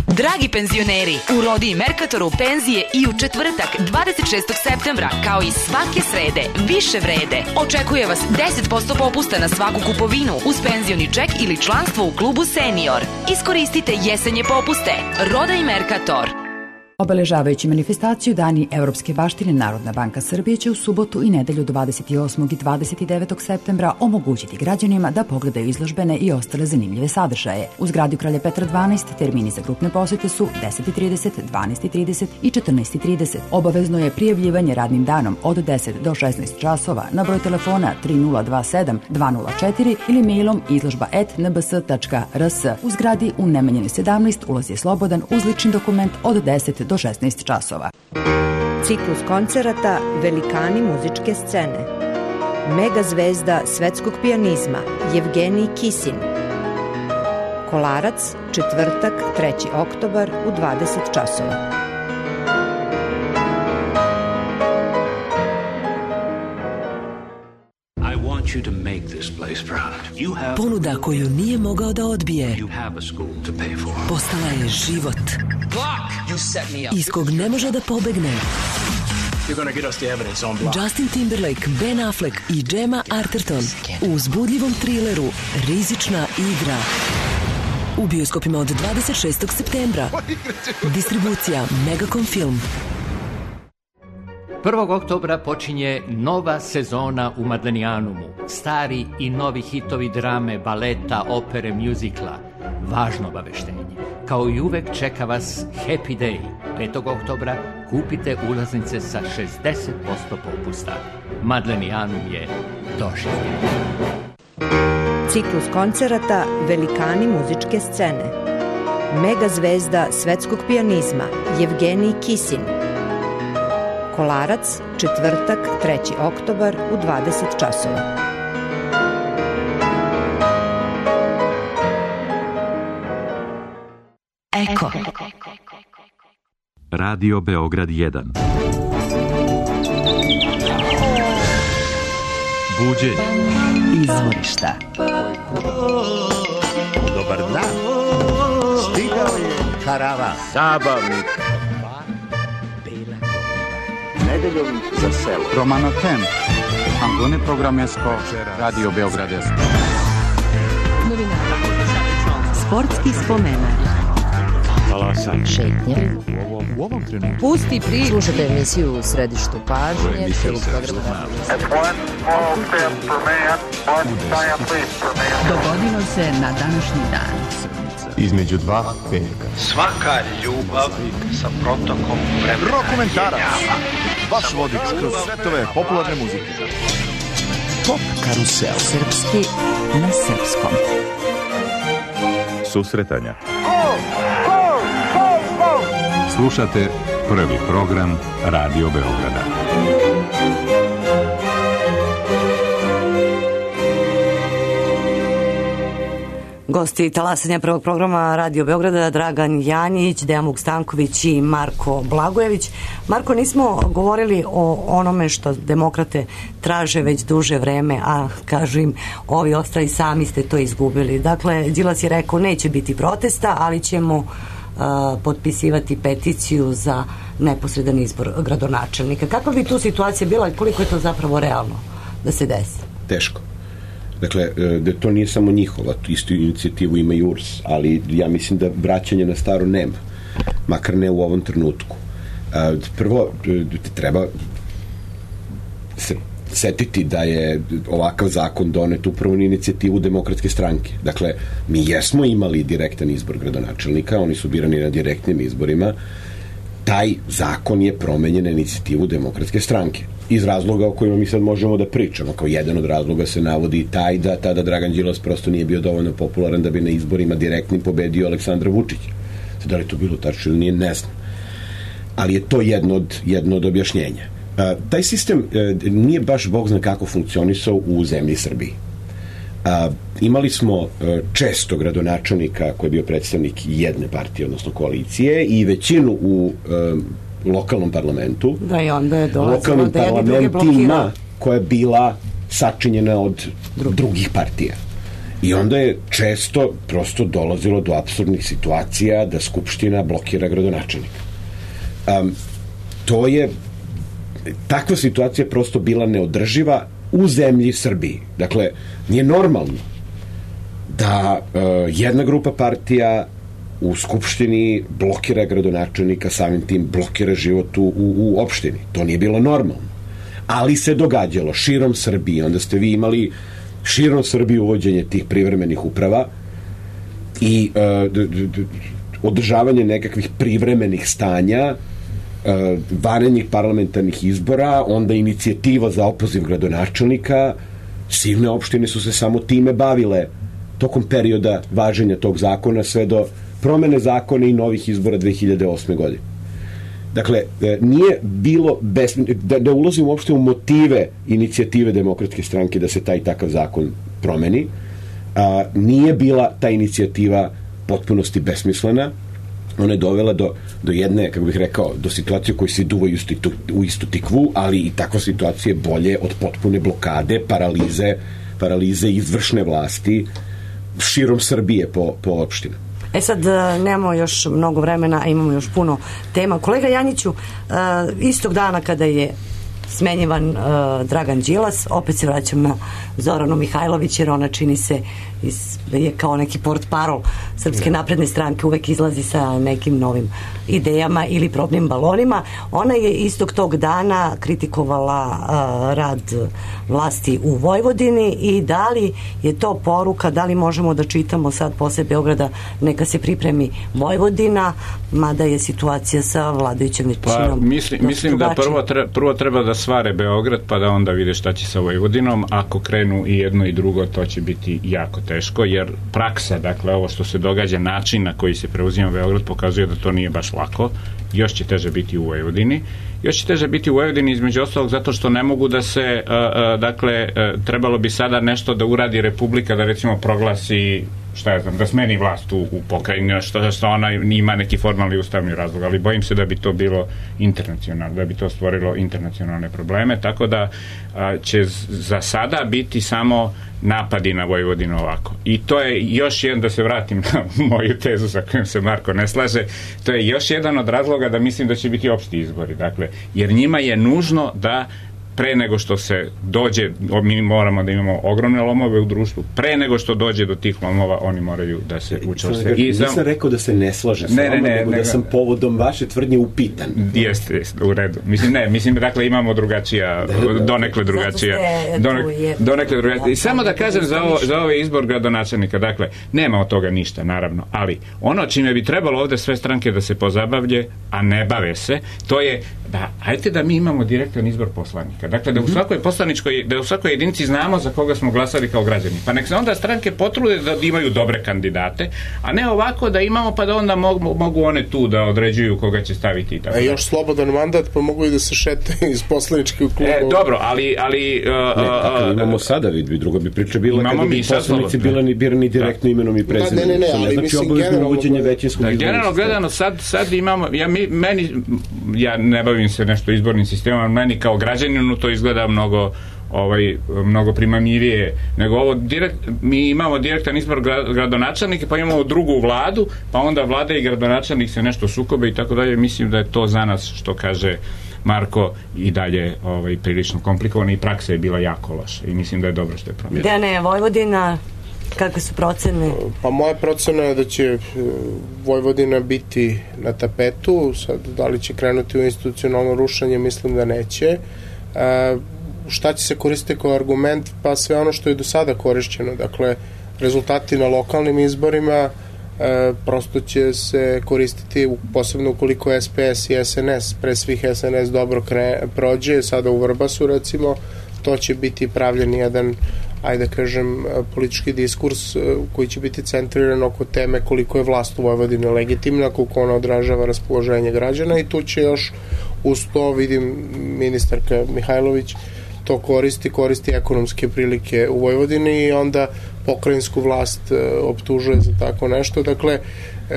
Dragi penzioneri, u Rodi i Merkatoru penzije i u četvrtak dvadeset šestog septembra, kao i svake srede, više vrede. Očekuje vas deset posto popusta na svaku kupovinu uz penzioni ček ili članstvo u klubu Senior. Iskoristite jesenje popuste. Roda i Merkator. Obeležavajući manifestaciju Dani Evropske baštine, Narodna banka Srbije će u subotu i nedelju dvadeset osmog i dvadeset devetog septembra omogućiti građanima da pogledaju izložbene i ostale zanimljive sadržaje. U zgradi Kralja Petra dvanaest termini za grupne posete su deset i trideset, dvanaest i trideset i četrnaest i trideset. Obavezno je prijavljivanje radnim danom od deset do šesnaest časova na broj telefona tri nula dva sedam dva nula četiri ili mailom izložba et n b s tačka r s. U zgradi u Nemanjinoj sedamnaest ulaz je slobodan uz lični dokument od deset do šesnaest časova. Ciklus koncerata Velikani muzičke scene. Mega zvezda svetskog pijanizma Jevgenij Kisin. Kolarac, četvrtak, treći oktobar u dvadeset časova. Ponuda koju nije mogao da odbije postala je život iz kog ne može da pobegne. Justin Timberlake, Ben Affleck i Gemma Arterton u uzbudljivom trileru Rizična igra u bioskopima od dvadeset šestog septembra. Distribucija Megacom Film. prvog oktobra počinje nova sezona u Madlenijanumu. Stari i novi hitovi drame, baleta, opere, mjuzikla. Važno obaveštenje. Kao i uvek čeka vas Happy Day. petog oktobra kupite ulaznice sa šezdeset posto popusta. Madlenijanum je doživljen. Ciklus koncerata Velikani muzičke scene. Mega zvezda svetskog pijanizma Jevgenij Kisin. Kolarac, četvrtak, treći oktobar u dvadeset časova. Eko. Radio Beograd jedan. Buđenje. Izvorišta. Dobar dan. Stigao je karavan. Zabavnik. Nedeljom za selo. Romano Tem. Antone Programesko. Radio Beogradesko. Sportski spomenak. Talasanje. Šetnje. U ovom trenutku. Pusti priču. Slušajte emisiju u središtu pažnje. Dogodilo se na današnji dan. Između dva petka. Svaka ljubav sa protokom vremena. Rokomentarac. Vaš vodič kroz svetove popularne muzike. Pop karusel. Srpski na srpskom. Susretanja. Slušate prvi program Radio Beograda. Gosti talasanja prvog programa Radio Beograda Dragan Janjić, Dejan Vukstanković i Marko Blagojević. Marko, nismo govorili o onome što demokrate traže već duže vreme, a kažu im ovi ostali sami ste to izgubili. Dakle, Đilas je rekao neće biti protesta, ali ćemo a, potpisivati peticiju za neposredan izbor gradonačelnika. Kakva bi tu situacija bila i koliko je to zapravo realno da se desi? Teško. Dakle, da to nije samo njihova, tu istu inicijativu ima i U R S, ali ja mislim da vraćanje na staro nema, makar ne u ovom trenutku. Prvo, treba se setiti da je ovakav zakon donet upravo na inicijativu Demokratske stranke. Dakle, mi jesmo imali direktan izbor gradonačelnika, oni su birani na direktnim izborima. Taj zakon je promenjen na inicijativu Demokratske stranke. Iz razloga o kojima mi sad možemo da pričamo. Kao jedan od razloga se navodi i taj da tada Dragan Đilas prosto nije bio dovoljno popularan da bi na izborima direktnim pobedio Aleksandra Vučića. Da li to bilo tačno ili nije, ne znam. Ali je to jedno od, jedno od objašnjenja. A, taj sistem a, nije baš bog zna kako funkcionisao u zemlji Srbiji. A, imali smo a, često gradonačelnika koji je bio predstavnik jedne partije, odnosno koalicije, i većinu u a, lokalnom parlamentu, da, i onda je lokalnim da parlamentima koja je bila sačinjena od Drugi. drugih partija. I onda je često prosto dolazilo do apsurdnih situacija da Skupština blokira gradonačelnika. Um, to je takva situacija prosto bila neodrživa u zemlji Srbiji. Dakle, nije normalno da uh, jedna grupa partija u Skupštini blokira gradonačelnika, samim tim blokira život u, u, u opštini. To nije bilo normalno. Ali se događalo širom Srbije. Onda ste vi imali širom Srbije uvođenje tih privremenih uprava i uh, d, d, d, održavanje nekakvih privremenih stanja, uh, varenjih parlamentarnih izbora, onda inicijativa za opoziv gradonačelnika. Silne opštine su se samo time bavile tokom perioda važenja tog zakona sve do promene zakona i novih izbora dve hiljade osme. godine. Dakle, nije bilo bez, da, da ulazim uopšte u motive inicijative Demokratske stranke da se taj takav zakon promeni. A, nije bila ta inicijativa potpunosti besmislena. Ona je dovela do, do jedne, kako bih rekao, do situacije koji se duva u istu tikvu, ali i takva situacija je bolje od potpune blokade, paralize, paralize izvršne vlasti širom Srbije po, po opštinu. E sad, nemamo još mnogo vremena, a imamo još puno tema. Kolega Janjiću, istog dana kada je smenjivan uh, Dragan Đilas, opet se vraćam na Zoranu Mihajlović, jer ona čini se iz, je kao neki portparol Srpske napredne stranke, uvek izlazi sa nekim novim idejama ili probnim balonima. Ona je istog tog dana kritikovala uh, rad vlasti u Vojvodini i da li je to poruka, da li možemo da čitamo sad posle Beograda neka se pripremi Vojvodina, mada je situacija sa vladajućom većinom. Pa mislim, mislim da prvo treba, prvo treba da svare Beograd, pa da onda vide šta će sa Vojvodinom. Ako krenu i jedno i drugo, to će biti jako teško, jer praksa, dakle ovo što se događa, način na koji se preuzima Beograd pokazuje da to nije baš lako. Još će teže biti u Vojvodini. Još će teže biti u Vojvodini između ostalog zato što ne mogu da se, uh, uh, dakle, uh, trebalo bi sada nešto da uradi Republika, da recimo proglasi, šta ja znam, da smeni vlast u, u pokrajini, što, što ona ima neki formalni ustavni razlog, ali bojim se da bi to bilo internacionalno, da bi to stvorilo internacionalne probleme, tako da a, će za sada biti samo napadi na Vojvodinu ovako. I to je još jedan, da se vratim na moju tezu sa kojom se Marko ne slaže, to je još jedan od razloga da mislim da će biti opšti izbori, dakle, jer njima je nužno da pre nego što se dođe, mi moramo da imamo ogromne lomove u društvu, pre nego što dođe do tih lomova, oni moraju da se učvrste. I nisam sam... rekao da se ne slaže sa vama, nego ne, da sam povodom vaše tvrdnje upitan. Jeste, jeste, u redu. Mislim, ne, mislim, dakle, imamo drugačija, donekle drugačija. Donekle, donekle drugačija. I samo da kažem za, ovo, za ovaj izbor gradonačelnika, dakle, nema od toga ništa, naravno, ali ono čime bi trebalo ovde sve stranke da se pozabavlje, a ne bave se, to je da, hajte da mi imamo direktan izbor poslanika. Dakle, da u svakoj poslaničkoj, da u svakoj jedinici znamo za koga smo glasali kao građani. Pa nek se onda stranke potrude da imaju dobre kandidate, a ne ovako da imamo pa da onda mogu, mogu one tu da određuju koga će staviti i tako. E, još slobodan mandat, pa mogu i da se šete iz poslaničkih kluba. E, dobro, ali... ali uh, ne, tako, imamo sada, vidbi, druga bi priča bila kada bi poslanici bilani birani direktno imenom i prezimenom. Ne, ne, ne, ali znači mislim generalno... većinskog da, generalno gledano, sad, sad imamo, ja, mi, meni, ja ne bavim se nešto izbornim sistemom, meni kao građaninu to izgleda mnogo ovaj, mnogo primamljivije nego ovo. Direkt, mi imamo direktan izbor gradonačelnika, pa imamo drugu vladu, pa onda vlada i gradonačelnik se nešto sukobe i tako dalje. Mislim da je to za nas, što kaže Marko, i dalje ovaj, prilično komplikovano i praksa je bila jako loša i mislim da je dobro što je promijenilo. Dejane, Vojvodina, kakve su procene? Pa moja procena je da će Vojvodina biti na tapetu. Sad, da li će krenuti u institucionalno rušenje, mislim da neće. E, šta će se koristiti kao argument? Pa sve ono što je do sada korišćeno. Dakle, rezultati na lokalnim izborima e, prosto će se koristiti, posebno ukoliko S P S i S N S, pre svih S N S dobro kre, prođe, sada u Vrbasu recimo, to će biti pravljen jedan, ajde da kažem, politički diskurs koji će biti centriran oko teme koliko je vlast u Vojvodini legitimna, koliko ona odražava raspoloženje građana i tu će još uz to, vidim, ministarka Mihajlović to koristi, koristi ekonomske prilike u Vojvodini i onda pokrajinsku vlast optužuje za tako nešto. Dakle,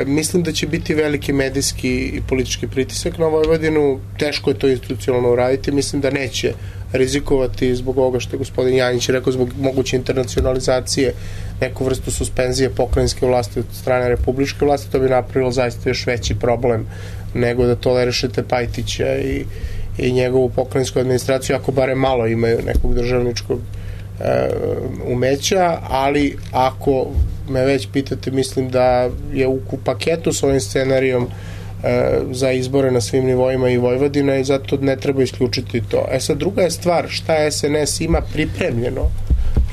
mislim da će biti veliki medijski i politički pritisak na Vojvodinu, teško je to institucionalno uraditi, mislim da neće rizikovati zbog ovoga što je gospodin Janjić rekao, zbog moguće internacionalizacije, neku vrstu suspenzije pokrajinske vlasti od strane republičke vlasti, to bi napravilo zaista još veći problem nego da tolerišete Pajtića i, i njegovu pokrajinsku administraciju, ako bare malo imaju nekog državničkog e, umeća, ali ako me već pitate, mislim da je u paketu s ovim scenarijom za izbore na svim nivoima i Vojvodina i zato ne treba isključiti to. E sad, druga je stvar, šta S N S ima pripremljeno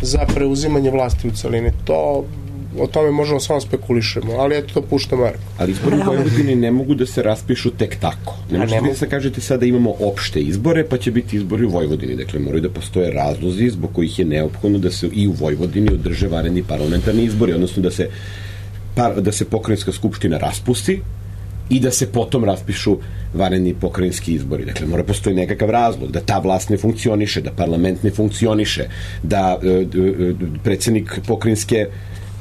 za preuzimanje vlasti u celini. To, o tome možemo samo spekulišemo, ali eto to pušta Marko. Ali izbori u Vojvodini ne mogu da se raspišu tek tako. Ne možete vi da kažete sada imamo opšte izbore, pa će biti izbori u Vojvodini. Dakle, moraju da postoje razlozi zbog kojih je neophodno da se i u Vojvodini održe vanredni parlamentarni izbori, odnosno da se, da se pokrajinska skupština raspusti i da se potom raspišu vanredni pokrajinski izbori. Dakle, mora postoji nekakav razlog da ta vlast ne funkcioniše, da parlament ne funkcioniše, da e, e, predsjednik pokrajinske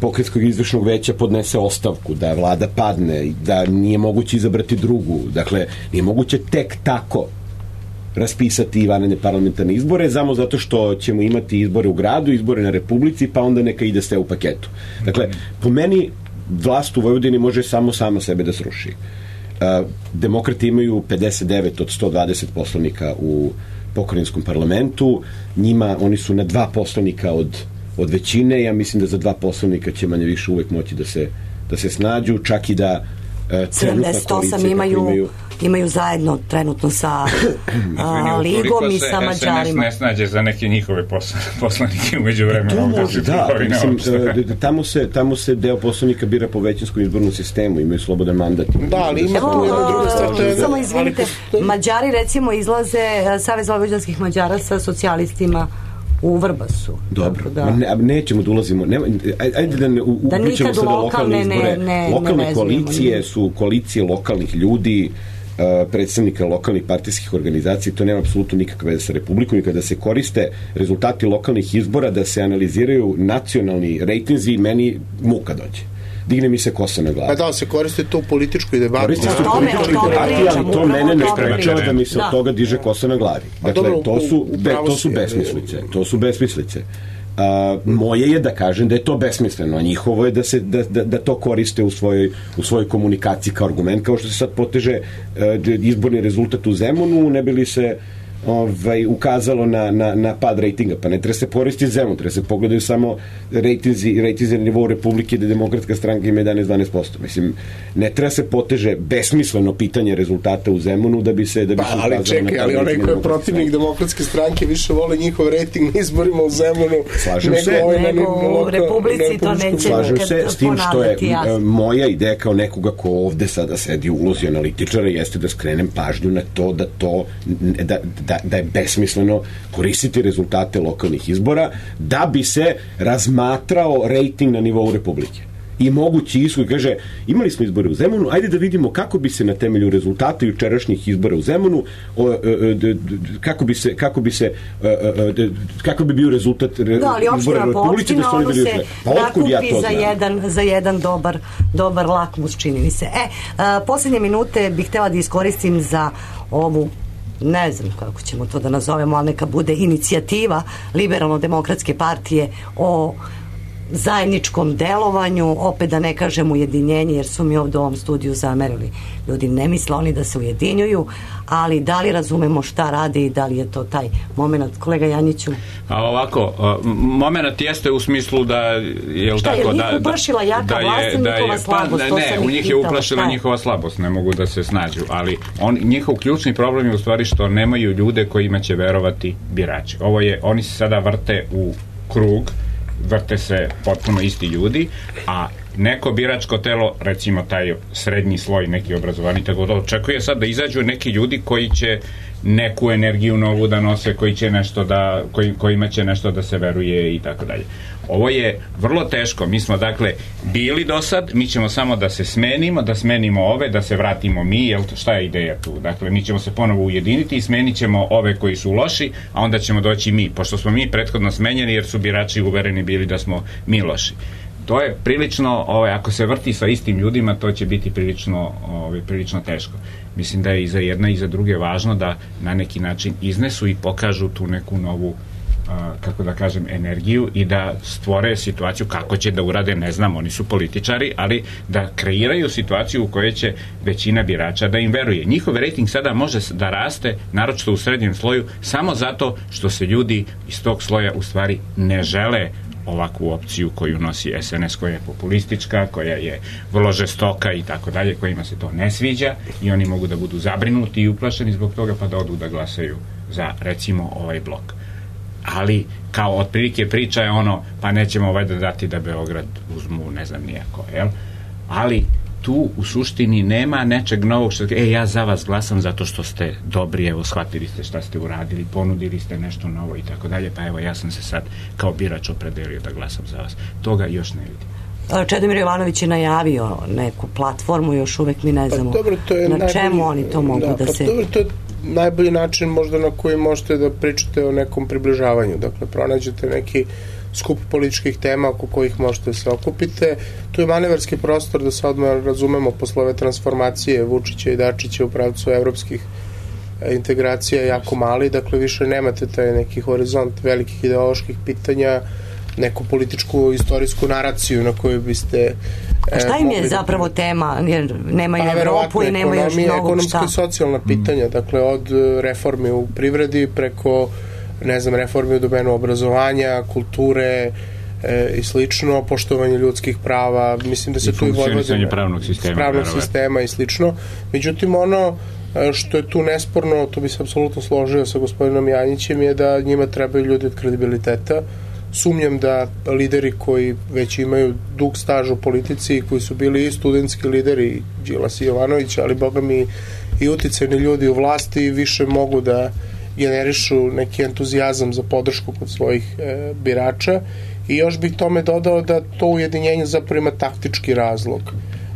pokrajinskog izvršnog veća podnese ostavku, da vlada padne, da nije moguće izabrati drugu. Dakle, nije moguće tek tako raspisati vanredne parlamentarne izbore, samo zato što ćemo imati izbore u gradu, izbore na Republici, pa onda neka ide sve u paketu. Dakle, po meni vlast u Vojvodini može samo sama sebe da sruši. Uh, demokrati imaju pedeset devet od sto dvadeset poslanika u pokrajinskom parlamentu, njima, oni su na dva poslanika od, od većine, ja mislim da za dva poslanika će manje više uvek moći da se, da se snađu, čak i da uh, sedamdeset osam imaju, imaju imaju zajedno trenutno sa a, Ligom i sa Mađarima. S N S ne snađe za neke njihove poslanike umeđu vremena. Da, mislim, tamo se, tamo se deo poslanika bira po većinskom izbornom sistemu, imaju slobodan mandat. Da, ali ima Evo, druga stvar. Samo izvinite, Mađari recimo izlaze, Savez vojvođanskih Mađara sa socijalistima u Vrbasu. Dobro, da. ne, nećemo da ulazimo, ne, ajde da ne uključimo sada lokalne izbore. Ne, ne, lokalne ne koalicije ne. Su koalicije lokalnih ljudi, predstavnika lokalnih partijskih organizacija, to nema apsolutno nikakve veze sa Republikom i kada se koriste rezultati lokalnih izbora da se analiziraju nacionalni rejtinzi, meni muka dođe. Digne mi se kosa na glavu. Pa da, se koriste to u političkoj debati. Koriste se u političkoj debati, ali to mene ne sprečava da mi se od toga diže kosa na glavi. Dakle, to su, be, to su besmislice. To su besmislice. A, moje je da kažem da je to besmisleno, a njihovo je da se da, da, da to koriste u svojoj, u svojoj komunikaciji kao argument, kao što se sad poteže uh, izborni rezultat u Zemunu, ne bi li se ovaj, ukazalo na, na, na pad rejtinga, pa ne treba se koristiti Zemun, treba se pogledaju samo rejtinzi, rejtinzi na nivou Republike, da Demokratska stranka ima jedanaest do dvanaest posto. Mislim, ne treba se poteže besmisleno pitanje rezultata u Zemunu da bi se da bi pa, se ali čekaj, ali onaj ko je protivnik Demokratske stranke više vole njihov rejting na izborima u Zemunu slažem nego, se, ovaj nego u Republici to neće slažem se s tim što je jasno. Moja ideja kao nekoga ko ovde sada sedi u ulozi analitičara jeste da skrenem pažnju na to da to da, da, da je besmisleno koristiti rezultate lokalnih izbora da bi se razmatrao rejting na nivou Republike. I mogući ishod, kaže, imali smo izbore u Zemunu, ajde da vidimo kako bi se na temelju rezultata jučerašnjih izbora u Zemunu o, o, o, kako bi se kako bi se o, o, kako bi bio rezultat re, da, ali izbora u Republike da su oni bili pa nakupi ja za jedan, za jedan dobar, dobar lakmus, čini mi se. E, a, posljednje minute bih htjela da iskoristim za ovu ne znam kako ćemo to da nazovemo, ali neka bude inicijativa Liberalno-demokratske partije o zajedničkom delovanju, opet da ne kažem ujedinjenje, jer su mi ovdje u ovom studiju zamerili. Ljudi ne misle oni da se ujedinjuju, ali da li razumemo šta radi i da li je to taj moment, kolega Janjiću? A ovako, moment jeste u smislu da je šta tako, je da, njih uplašila jaka da vlast je, i da njihova je, slabost? pa, ne, u njih je uplašila njihova slabost, ne mogu da se snađu, ali on, njihov ključni problem je u stvari što nemaju ljude kojima će verovati birači. Ovo je, oni se sada vrte u krug, vrte se potpuno isti ljudi, a neko biračko telo, recimo taj srednji sloj, neki obrazovani, tako da očekuje sad da izađu neki ljudi koji će neku energiju novu da nose, koji će nešto da, koji, kojima će nešto da se veruje i tako dalje. Ovo je vrlo teško. Mi smo dakle bili do sad, mi ćemo samo da se smenimo, da smenimo ove, da se vratimo mi, jel to, šta je ideja tu? Dakle, mi ćemo se ponovo ujediniti i smenit ćemo ove koji su loši, a onda ćemo doći mi, pošto smo mi prethodno smenjeni jer su birači uvereni bili da smo mi loši. To je prilično, ovaj, ako se vrti sa istim ljudima, to će biti prilično, ovaj, prilično teško. Mislim da je i za jedna i za druge važno da na neki način iznesu i pokažu tu neku novu, a, kako da kažem, energiju i da stvore situaciju kako će da urade, ne znam, oni su političari, ali da kreiraju situaciju u kojoj će većina birača da im veruje. Njihov rejting sada može da raste, naročito u srednjem sloju, samo zato što se ljudi iz tog sloja u stvari ne žele ovakvu opciju koju nosi S N S, koja je populistička, koja je vrlo žestoka i tako dalje, kojima se to ne sviđa i oni mogu da budu zabrinuti i uplašeni zbog toga pa da odu da glasaju za, recimo, ovaj blok. Ali kao otprilike priča je ono, pa nećemo ovaj da dati da Beograd uzmu, ne znam nijako, jel? Ali tu u suštini nema nečeg novog što, e, ja za vas glasam zato što ste dobri, evo, shvatili ste šta ste uradili, ponudili ste nešto novo i tako dalje, pa evo, ja sam se sad kao birač opredelio da glasam za vas. Toga još ne vidim. Čedomir Jovanović je najavio neku platformu, još uvek mi ne znamo pa, dobro, to je na najbolji, čemu oni to mogu da, da pa, se... Dobro, to je najbolji način možda na koji možete da pričate o nekom približavanju, dakle, pronađete neki skup političkih tema oko kojih možete da se okupite. Tu je manevarski prostor da se odmah razumemo posle ove transformacije Vučića i Dačića u pravcu evropskih integracija jako mali, dakle više nemate taj neki horizont velikih ideoloških pitanja, neku političku istorijsku naraciju na koju biste... A šta im je zapravo da... tema? Jer nemaju pa, Evropu i nema još mnogo ekonomska šta. I socijalna pitanja, mm. dakle od reformi u privredi preko, ne znam, reformi u domenu obrazovanja, kulture e, i slično, poštovanje ljudskih prava, mislim da se I tu i funkcionisanje pravnog sistema, pravnog sistema i slično. Međutim, ono što je tu nesporno, to bi se apsolutno složio sa gospodinom Janjićem, je da njima trebaju ljudi od kredibiliteta. Sumnjam da lideri koji već imaju dug staž u politici i koji su bili i studentski lideri, Đilas i Jovanović, ali boga mi i uticajni ljudi u vlasti, više mogu da generišu neki entuzijazam za podršku kod svojih e, birača. I još bih tome dodao da to ujedinjenje zapravo ima taktički razlog.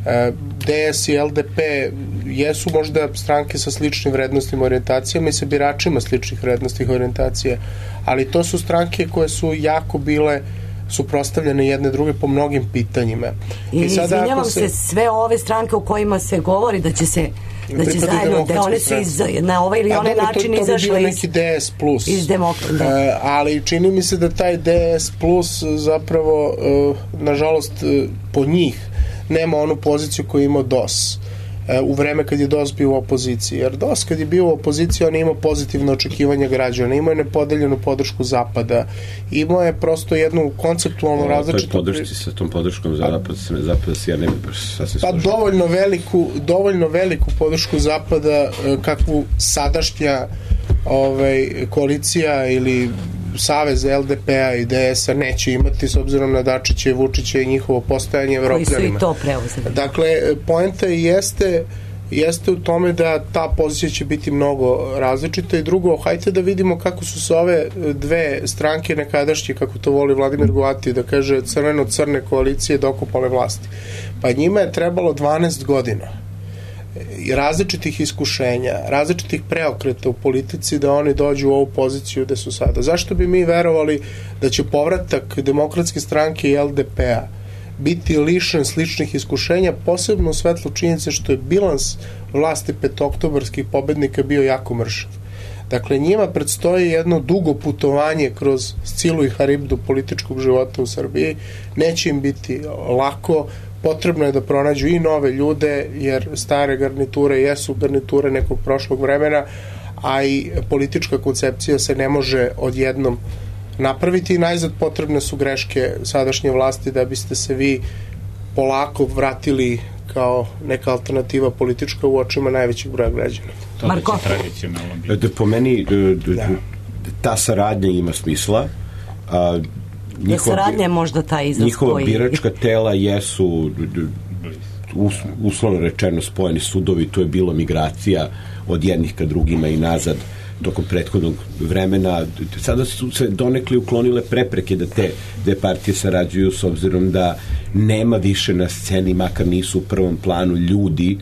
E, D S i L D P jesu možda stranke sa sličnim vrednostima, orijentacijama i sa biračima sličnih vrednostih orijentacija, ali to su stranke koje su jako bile suprotstavljene jedne druge po mnogim pitanjima. I, I sada izvinjavam se, se, sve ove stranke u kojima se govori da će se da će zajedno, da one su iz, na ovaj ili onaj način to, to izašle iz, neki D S plus. Iz demokrata. Uh, ali čini mi se da taj D S plus zapravo, uh, nažalost, uh, po njih nema onu poziciju koju imao D O S u vreme kad je D O S bio u opoziciji. Jer D O S kad je bio u opoziciji, on je imao pozitivno očekivanje građana, imao je nepodeljenu podršku Zapada, imao je prosto jednu konceptualnu različitu... O toj podršci sa tom podrškom Zapada, Zapada se ja ne bi sasvim pa složio. dovoljno veliku, dovoljno veliku podršku Zapada kakvu sadašnja ovaj, koalicija ili savez L D P-a i D S-a neće imati s obzirom na Dačića i Vučića i njihovo postajanje Evropljanima. Koji su i to preuzeli. Dakle, poenta jeste, jeste u tome da ta pozicija će biti mnogo različita i drugo, hajte da vidimo kako su se ove dve stranke nekadašnje, kako to voli Vladimir Goati, da kaže crveno-crne koalicije dokopale vlasti. Pa njima je trebalo dvanaest godina i različitih iskušenja, različitih preokreta u politici da oni dođu u ovu poziciju gde su sada. Zašto bi mi verovali da će povratak Demokratske stranke i L D P-a biti lišen sličnih iskušenja, posebno u svetlu činjenice što je bilans vlasti petooktobarskih pobednika bio jako mršav. Dakle, njima predstoji jedno dugo putovanje kroz Scilu i Haribdu političkog života u Srbiji. Neće im biti lako, potrebno je da pronađu i nove ljude, jer stare garniture jesu garniture nekog prošlog vremena, a i politička koncepcija se ne može odjednom napraviti i najzad potrebne su greške sadašnje vlasti da biste se vi polako vratili kao neka alternativa politička u očima najvećeg broja građana. Marko? Da, po meni da. ta saradnja ima smisla. A, njihova, saradnja je možda ta izraz njihova koji... biračka tela jesu us, uslovno rečeno spojeni sudovi, to je bilo migracija od jednih ka drugima i nazad tokom prethodnog vremena. Sada su se donekli uklonile prepreke da te dve partije sarađuju, s obzirom da nema više na sceni, makar nisu u prvom planu, ljudi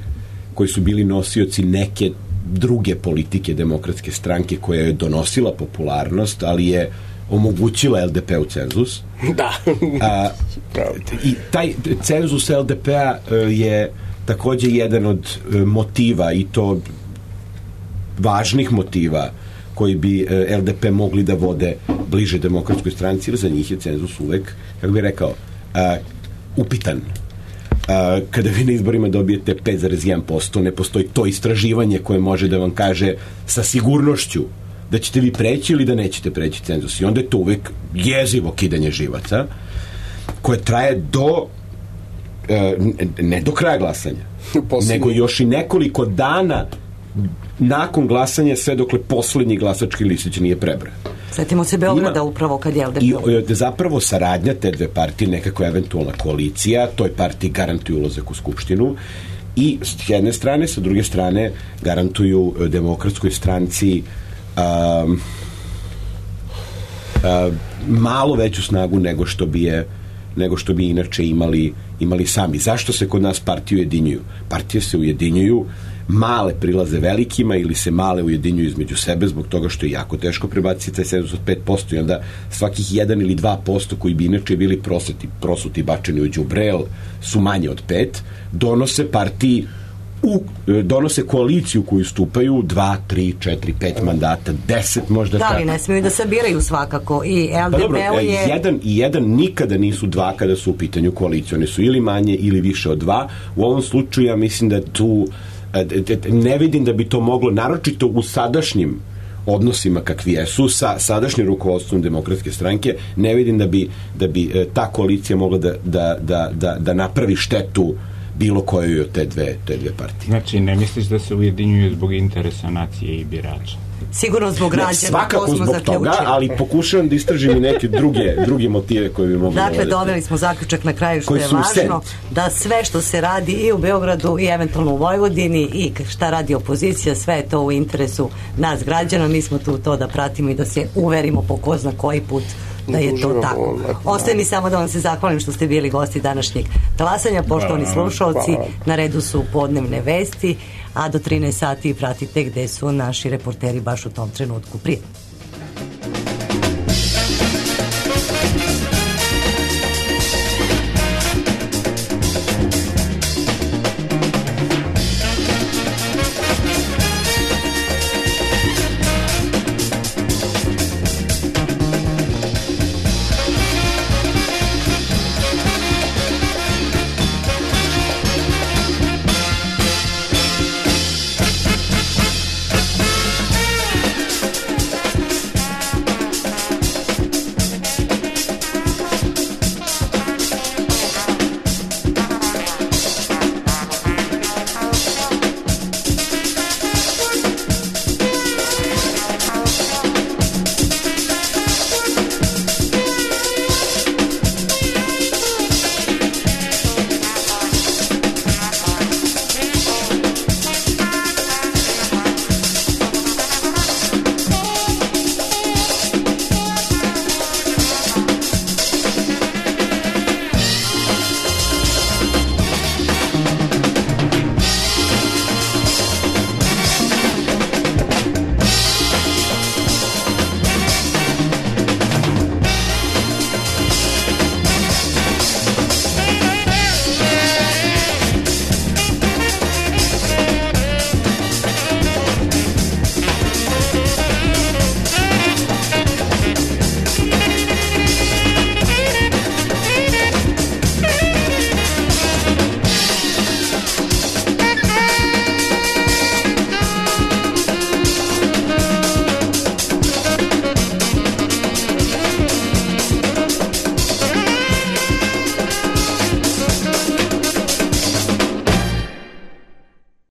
koji su bili nosioci neke druge politike Demokratske stranke koja je donosila popularnost, ali je omogućila el de pe u cenzus. Da. A, i taj cenzus el de pe-a je takođe jedan od motiva, i to važnih motiva koji bi el de pe mogli da vode bliže Demokratskoj stranci, jer za njih je cenzus uvek, kako bih rekao, a, upitan. A, kada vi na izborima dobijete pet zarez jedan posto, ne postoji to istraživanje koje može da vam kaže sa sigurnošću da ćete vi preći ili da nećete preći cenzus. I onda je to uvek jezivo kidanje živaca koje traje do e, ne do kraja glasanja, nego još i nekoliko dana nakon glasanja, sve dokle poslednji glasački listić nije prebran. Sjetimo se Beograda Ima, upravo kad je el de pe. I zapravo saradnja te dve partije, nekako eventualna koalicija, toj partiji garantuju ulazak u Skupštinu i s jedne strane, sa druge strane garantuju Demokratskoj stranci um, um, malo veću snagu nego što bi je nego što bi inače imali, imali sami. Zašto se kod nas partije ujedinjuju? Partije se ujedinjuju, male prilaze velikima ili se male ujedinjuju između sebe zbog toga što je jako teško prebaciti taj cenzus od pet posto i onda svakih jedan ili dva posto koji bi inače bili proseti, prosuti bačeni u đubre su manje od pet, donose partiji u, donose koaliciju koju stupaju dva, tri, četiri, pet mandata, deset možda. Da, ali ne smiju da sabiraju svakako i el de pe pa je... Jedan i jedan nikada nisu dva kada su u pitanju koalicije. One su ili manje ili više od dva. U ovom slučaju ja mislim da tu ne vidim da bi to moglo, naročito u sadašnjim odnosima kakvi jesu sa sadašnjim rukovodstvom Demokratske stranke, ne vidim da bi, da bi ta koalicija mogla da, da, da, da, da napravi štetu bilo kojoj od te dve, te dve partije. Znači, ne misliš da se ujedinjuju zbog interesa nacije i birača? Sigurno zbog građana, svakako to smo zbog zaključili. Toga, ali pokušavam da istražim i neke druge, druge motive koje bi mogli... Dakle, doveli smo zaključak na kraju što je važno, da sve što se radi i u Beogradu i eventualno u Vojvodini i šta radi opozicija, sve je to u interesu nas građana, mi smo tu to da pratimo i da se uverimo po ko zna koji put da je to tako. Ostaje mi samo da vam se zahvalim što ste bili gosti današnjeg glasanja, poštovani slušalci, na redu su podnevne vesti, a do trinaest sati pratite gde su naši reporteri baš u tom trenutku. Prije.